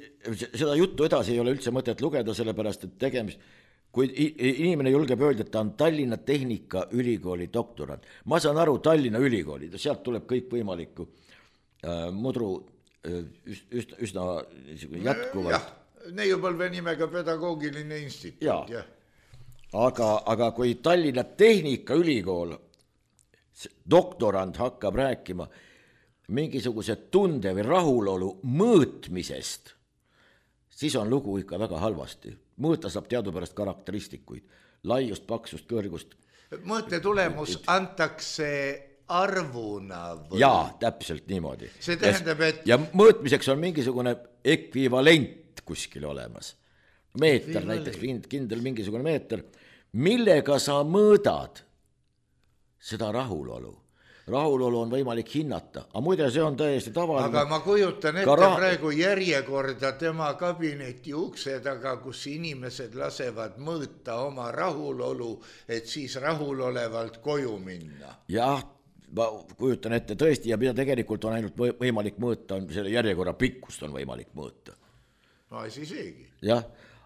Speaker 2: seda juttu edasi ei ole üldse mõtet lugeda, sellepärast, et tegemist... Kui inimene julgeb öelda, et ta on Tallinna Tehnika Ülikooli doktorant. Ma saan aru Tallinna Ülikooli, sealt tuleb kõik võimalikku äh, mudru äh, üsna, üsna jätkuvalt.
Speaker 3: Jah, neiupõlve nimega pedagoogiline instituut.
Speaker 2: Ja.
Speaker 3: Ja.
Speaker 2: Aga, aga kui Tallinna Tehnika Ülikool doktorant hakkab rääkima mingisuguse tunde või rahulolu mõõtmisest, siis on lugu ikka väga halvasti. Mõõta saab teadupärast karakteristikuid, laiust, paksust, kõrgust.
Speaker 3: Mõõte tulemus antakse arvuna või?
Speaker 2: Jaa, täpselt niimoodi.
Speaker 3: See tähendab, et...
Speaker 2: Ja mõõtmiseks on mingisugune ekvivalent kuskil olemas. Meeter, näiteks kindel mingisugune meeter, millega sa mõõdad seda rahulolu. Rahulolu on võimalik hinnata, aga muide see on täiesti tavaline.
Speaker 3: Aga ma kujutan ette
Speaker 2: ra...
Speaker 3: praegu järjekorda tema kabineti ukse taga, kus inimesed lasevad mõõta oma rahulolu, et siis rahulolevalt koju minna.
Speaker 2: Jah, ma kujutan ette tõesti ja mida tegelikult on ainult võimalik mõõta, on selle järjekorra pikkust on võimalik mõõta.
Speaker 3: No asi seegi.
Speaker 2: Jah,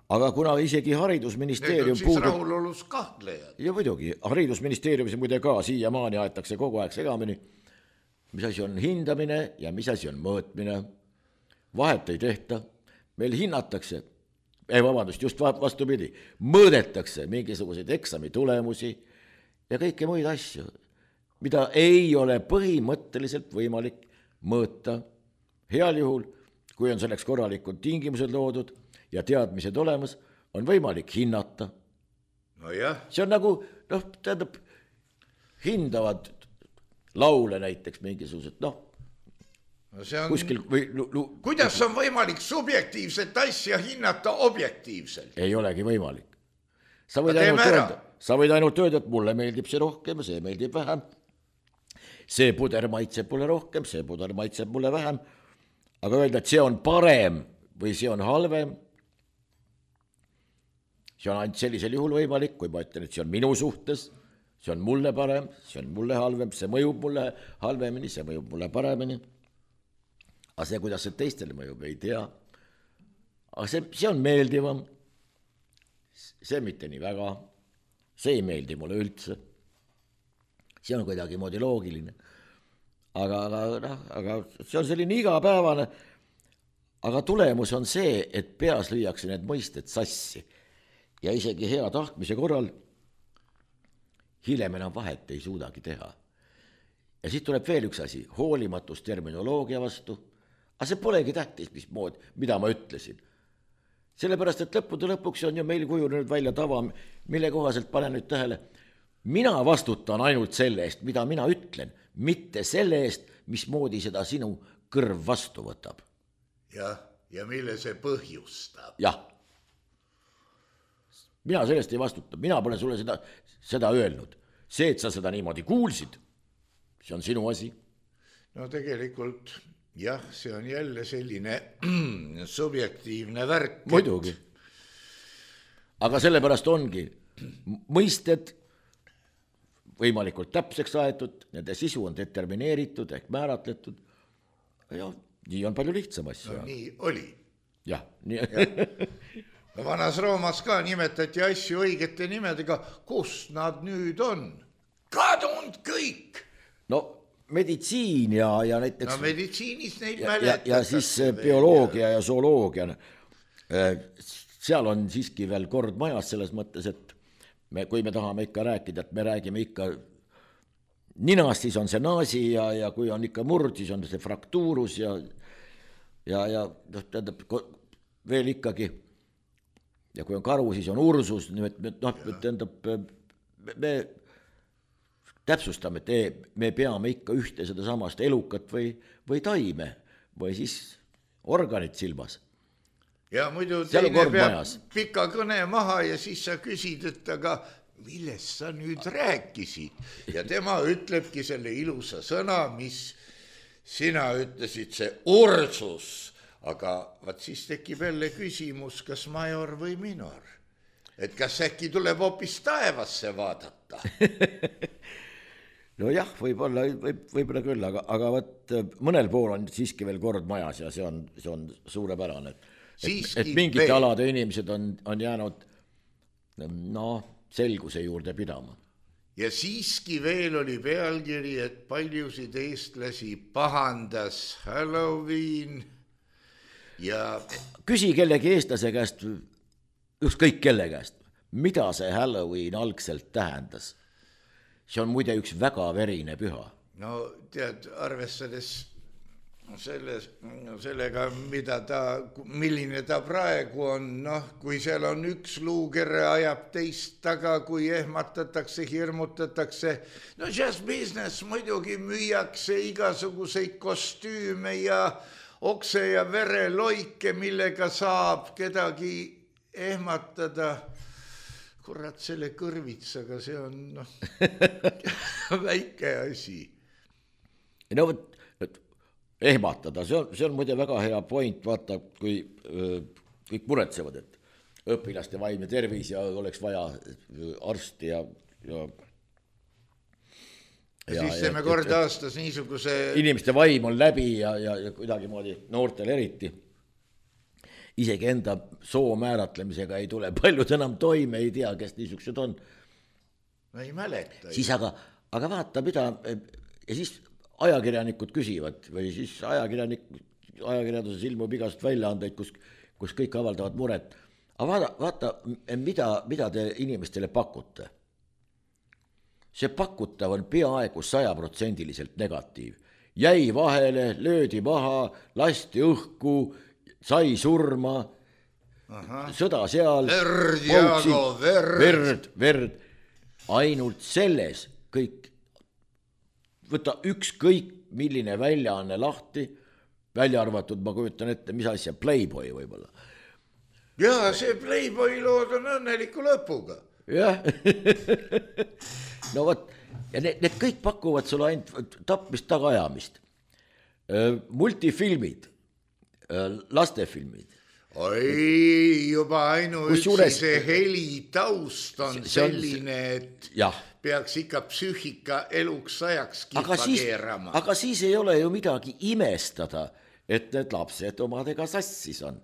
Speaker 2: aga kuna isegi haridusministeerium...
Speaker 3: Need on siis puudub... rahulolus kahtlejad.
Speaker 2: Ja muidugi, haridusministeeriumis muide ka siiamaani aetakse kogu aeg segamini, mis asi on hindamine ja mis asi on mõõtmine. Vahet ei tehta, meil hinnatakse, ei vabandust, just vastupidi, mõõdetakse mingisuguseid eksami tulemusi ja kõike muid asju, mida ei ole põhimõtteliselt võimalik mõõta. Heal juhul, kui on selleks korralikud tingimused loodud ja teadmised olemas, on võimalik hinnata.
Speaker 3: No jah.
Speaker 2: See on nagu, noh, tähendab, hindavad laule näiteks mingisugused, noh,
Speaker 3: no see on...
Speaker 2: kuskil või... Lu...
Speaker 3: Kuidas on võimalik subjektiivset asja hinnata objektiivselt?
Speaker 2: Ei olegi võimalik. Sa võid, ainult öelda, sa võid ainult öelda, et mulle meeldib see rohkem, see meeldib vähem. See puder maitseb mulle rohkem, see puder maitseb mulle vähem. Aga öelda, et see on parem või see on halvem, see on ainult sellisel juhul võimalik, kui ma ütlen, et see on minu suhtes, see on mulle parem, see on mulle halvem, see mõjub mulle halvemini, see mõjub mulle paremini. Aga see, kuidas see teistele mõjub, ei tea. Aga see, see on meeldivam, see mitte nii väga, see ei meeldi mulle üldse. See on kuidagi moodi loogiline. Aga, aga, aga see on selline igapäevane, aga tulemus on see, et peas lüüakse need mõisted sassi ja isegi hea tahtmise korral hiljem enam vahet ei suudagi teha. Ja siit tuleb veel üks asi, hoolimatus terminoloogia vastu, aga see polegi tähtis, mis mood, mida ma ütlesin. Sellepärast, et lõppude lõpuks on ju meil kujunenud välja tava, mille kohaselt pane nüüd tähele, mina vastutan ainult selle eest, mida mina ütlen, mitte selle eest, mismoodi seda sinu kõrv vastu võtab.
Speaker 3: Jah, ja mille see põhjustab.
Speaker 2: Jah. Mina sellest ei vastuta, mina pole sulle seda, seda öelnud. See, et sa seda niimoodi kuulsid, see on sinu asi.
Speaker 3: No tegelikult, jah, see on jälle selline subjektiivne värk.
Speaker 2: Muidugi. Aga sellepärast ongi mõisted võimalikult täpseks aetud, nende sisu on determineeritud ehk määratletud ja nii on palju lihtsam asju.
Speaker 3: No nii oli.
Speaker 2: Jah, nii.
Speaker 3: No vanas Roomas ka nimetati asju õigete nimedega, kus nad nüüd on? Kadunud kõik!
Speaker 2: No meditsiin ja, ja näiteks...
Speaker 3: No meditsiinis neid
Speaker 2: ja, ja, ja siis bioloogia ja zooloogia. Seal on siiski veel kord majas selles mõttes, et me, kui me tahame ikka rääkida, et me räägime ikka ninast, siis on see naasi ja, ja kui on ikka murd, siis on see fraktuurus ja, ja, ja tähendab, veel ikkagi, ja kui on karu, siis on ursus, noh, tähendab, me täpsustame, et me peame ikka ühte seda samast elukat või, või taime või siis organit silmas.
Speaker 3: Ja muidu teine peab pika kõne maha ja siis sa küsid, et aga millest sa nüüd rääkisid? Ja tema ütlebki selle ilusa sõna, mis sina ütlesid, see ursus. Aga vaat siis tekib jälle küsimus, kas major või minor. Et kas äkki tuleb hoopis taevasse vaadata?
Speaker 2: No jah, võib-olla, võib, võib-olla küll, aga, aga võt, mõnel pool on siiski veel kord majas ja see on, see on suurepärane. Et, et mingite veel. Alade inimesed on, on jäänud no, selguse juurde pidama.
Speaker 3: Ja siiski veel oli pealkiri, et paljusid eestlasi pahandas Halloween ja... Küsi
Speaker 2: kellegi eestlase käest, ükskõik kelle käest, mida see Halloween algselt tähendas? See on muide üks väga verine püha.
Speaker 3: No tead, arvestades selles, sellega, mida ta, milline ta praegu on, noh, kui seal on üks luukere ajab teist taga, kui ehmatatakse, hirmutatakse, no just business muidugi müüakse igasuguseid kostüüme ja okse ja vereloike, millega saab kedagi ehmatada. Kurat, selle kõrvitsaga, see on noh, väike asi.
Speaker 2: No võt, ehmatada, see on, see on muide väga hea point, vaata, kui öö, kõik muretsevad, et õpilaste vaimne tervis ja oleks vaja arsti ja, ja,
Speaker 3: ja siis teeme kord aastas niisuguse
Speaker 2: inimeste vaim on läbi ja, ja, ja kuidagi moodi noortel eriti. Isegi enda soo määratlemisega ei tule paljud enam toime, ei tea, kes niisugused on.
Speaker 3: Ei mäleta.
Speaker 2: Siis aga, aga vaata, mida, ja siis ajakirjanikud küsivad või siis ajakirjanik, ajakirjanduses ilmub igast väljaandeid, kus, kus kõik avaldavad muret. Aga vaata, vaata mida, mida te inimestele pakute. See pakutav on peaaegu sajaprotsendiliselt negatiiv. Jäi vahele, löödi maha, lasti õhku, sai surma, aha, sõda seal,
Speaker 3: verd, Jaago, verd.
Speaker 2: verd, verd, ainult selles kõik, võta ükskõik milline väljaanne lahti, välja arvatud, ma kujutan ette, mis asja, Playboy võibolla.
Speaker 3: Jaa, see Playboy lood on õnneliku lõpuga.
Speaker 2: Jah, no võt, ja need, need kõik pakuvad sulle ainult tapmist tagaajamist. Multifilmid, lastefilmid.
Speaker 3: Oi, juba ainuüksi
Speaker 2: juures,
Speaker 3: see heli taust on
Speaker 2: see on,
Speaker 3: selline, et
Speaker 2: jah,
Speaker 3: peaks ikka psüühika eluks ajaks kippa
Speaker 2: siis,
Speaker 3: keerama.
Speaker 2: aga siis ei ole ju midagi imestada, et need lapsed omadega sassis on.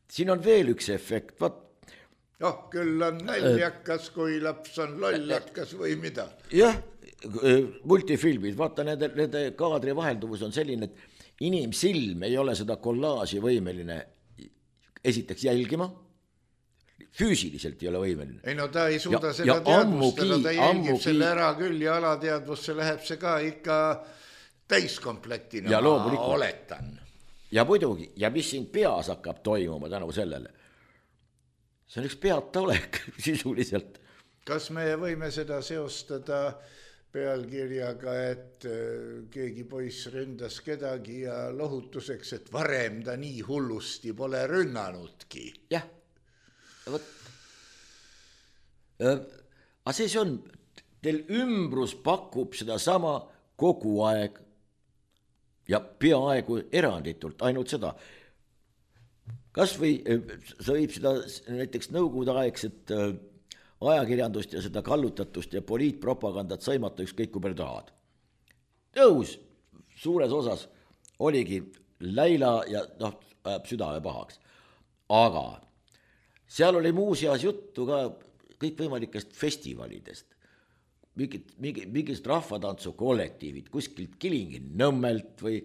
Speaker 2: Siin on veel üks efekt, vaat.
Speaker 3: Oh, küll on naljakas, kui laps on lollakas või mida.
Speaker 2: Jah, multifilmid, vaata nende, nende kaadri vahelduvus on selline, et inimsilm ei ole seda kollaaži võimeline esiteks jälgima, füüsiliselt ei ole võimeline.
Speaker 3: Ei no ta ei suuda
Speaker 2: ja,
Speaker 3: seda
Speaker 2: ja
Speaker 3: teadvustada, ta jälgib
Speaker 2: ammugi,
Speaker 3: selle ära küll ja alateadvusse läheb see ka ikka täiskomplektina,
Speaker 2: ja
Speaker 3: ma oletan.
Speaker 2: Ja muidugi, ja mis siin peas hakkab toimuma tänu sellele? See on üks peata olek sisuliselt.
Speaker 3: Kas me võime seda seostada pealkirjaga, et keegi poiss ründas kedagi ja lohutuseks, et varem ta nii hullusti pole rünnanudki?
Speaker 2: Jah, võt. Aga see see on, teil ümbrus pakub seda sama kogu aeg ja peaaegu eranditult, ainult seda. Kas või sa võib seda näiteks nõukogude aegset ajakirjandust ja seda kallutatust ja poliitpropagandat sõimata ükskõik kui palju tahad. Tõus suures osas oligi läila ja noh, ajab südame pahaks. Aga seal oli muuseas juttu ka kõikvõimalikest festivalidest, mingid, mingid, mingid rahvatantsu kollektiivid kuskilt Kilingi Nõmmelt või,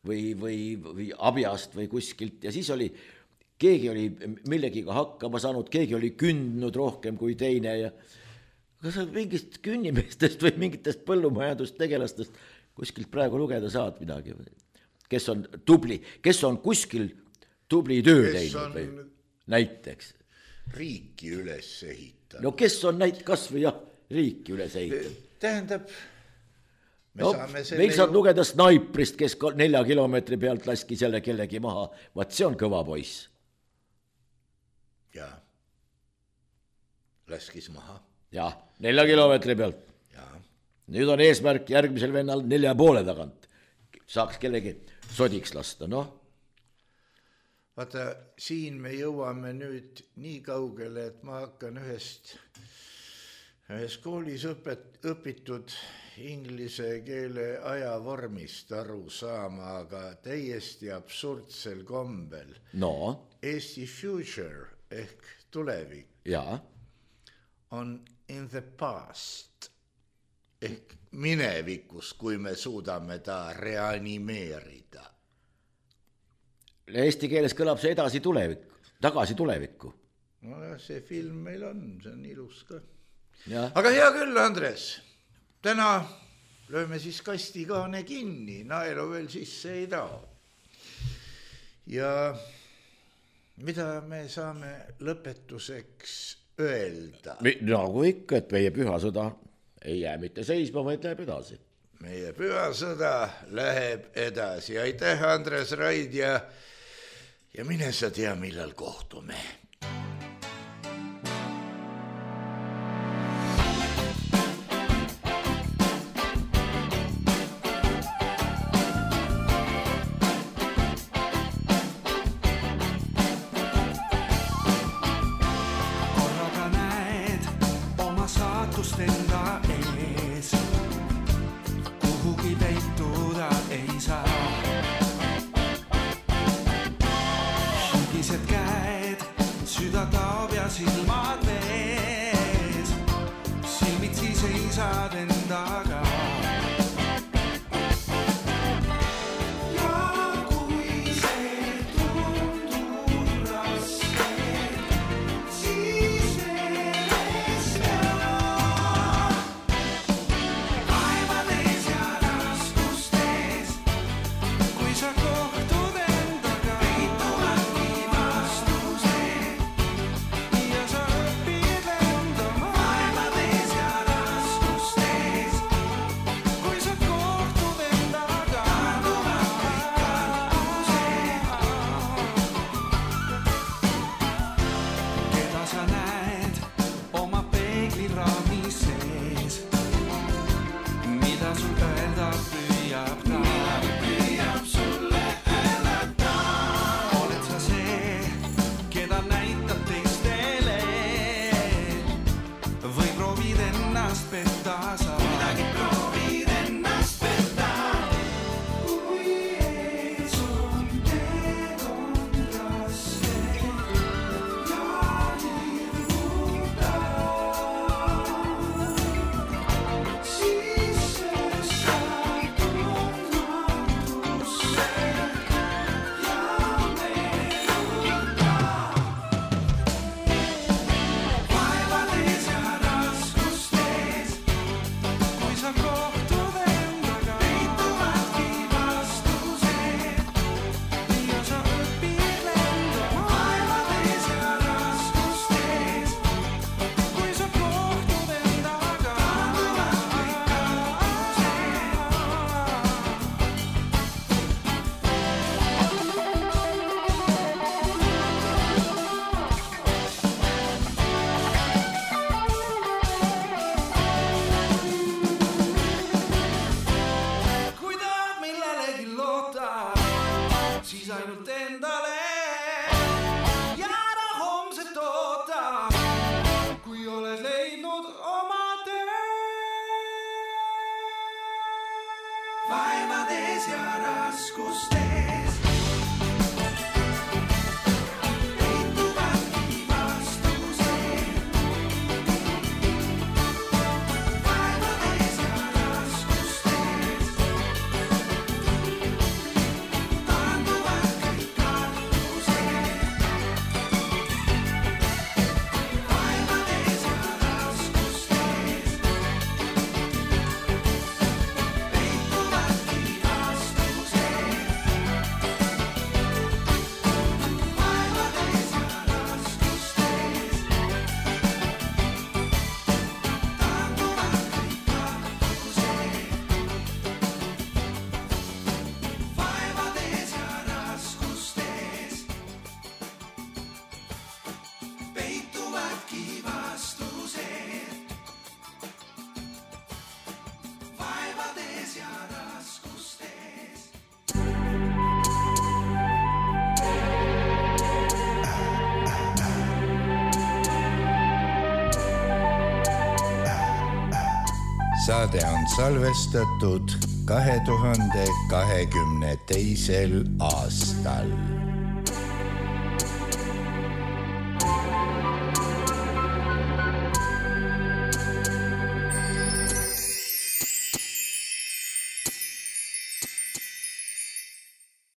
Speaker 2: või, või, või Abjast või kuskilt ja siis oli keegi oli millegiga hakkama saanud, keegi oli kündnud rohkem kui teine ja kas mingist künnimeestest või mingitest põllumajandustegelastest kuskilt praegu lugeda saad midagi, kes on tubli, kes on kuskil tubli töö kes teinud või näiteks.
Speaker 3: Riiki üles ehitanud.
Speaker 2: No kes on näit kas või jah, riiki üles ehitanud.
Speaker 3: Tähendab, me
Speaker 2: no,
Speaker 3: saame selle
Speaker 2: meil saad ju lugeda snaiprist, kes nelja kilomeetri pealt laski selle kellegi maha, vaat see on kõva poiss.
Speaker 3: Ja laskis maha.
Speaker 2: Ja, nelja kilomeetri pealt.
Speaker 3: Ja.
Speaker 2: Nüüd on eesmärk järgmisel vennal nelja poole tagant. Saaks kellegi sodiks lasta, noh.
Speaker 3: Vaata, siin me jõuame nüüd nii kaugele, et ma hakkan ühest, ühes koolis õpet, õpitud inglise keele ajavormist aru saama, aga täiesti absurdsel kombel.
Speaker 2: No.
Speaker 3: Eesti future ehk tulevik
Speaker 2: ja.
Speaker 3: On in the past ehk minevikus, kui me suudame ta reanimeerida.
Speaker 2: Eesti keeles kõlab see edasi tulevikku, tagasi tulevikku.
Speaker 3: No jah, see film meil on, see on ilus ka.
Speaker 2: Ja.
Speaker 3: Aga hea küll, Andres, täna lööme siis kastikaane kinni, naelu veel sisse ei tao. ja mida me saame lõpetuseks öelda?
Speaker 2: Nagu ikka, et meie pühasõda ei jää mitte seisma, vaid läheb edasi.
Speaker 3: Meie pühasõda läheb edasi. Aitäh, Andres Raid ja, ja mine sa tea, millal kohtume.
Speaker 4: Vaevades ja raskustes peituvadki vastused. Vaevades ja raskustes taanduvad kõik kartused. Vaevades ja raskustes peituvadki vastused. Vaevades ja raskustes taanduvad kõik kartused. Vaevades ja raskustes peituvadki vastused. Vaevades ja raskustes.
Speaker 3: Saade on salvestatud kahe tuhande kahekümne teisel aastal.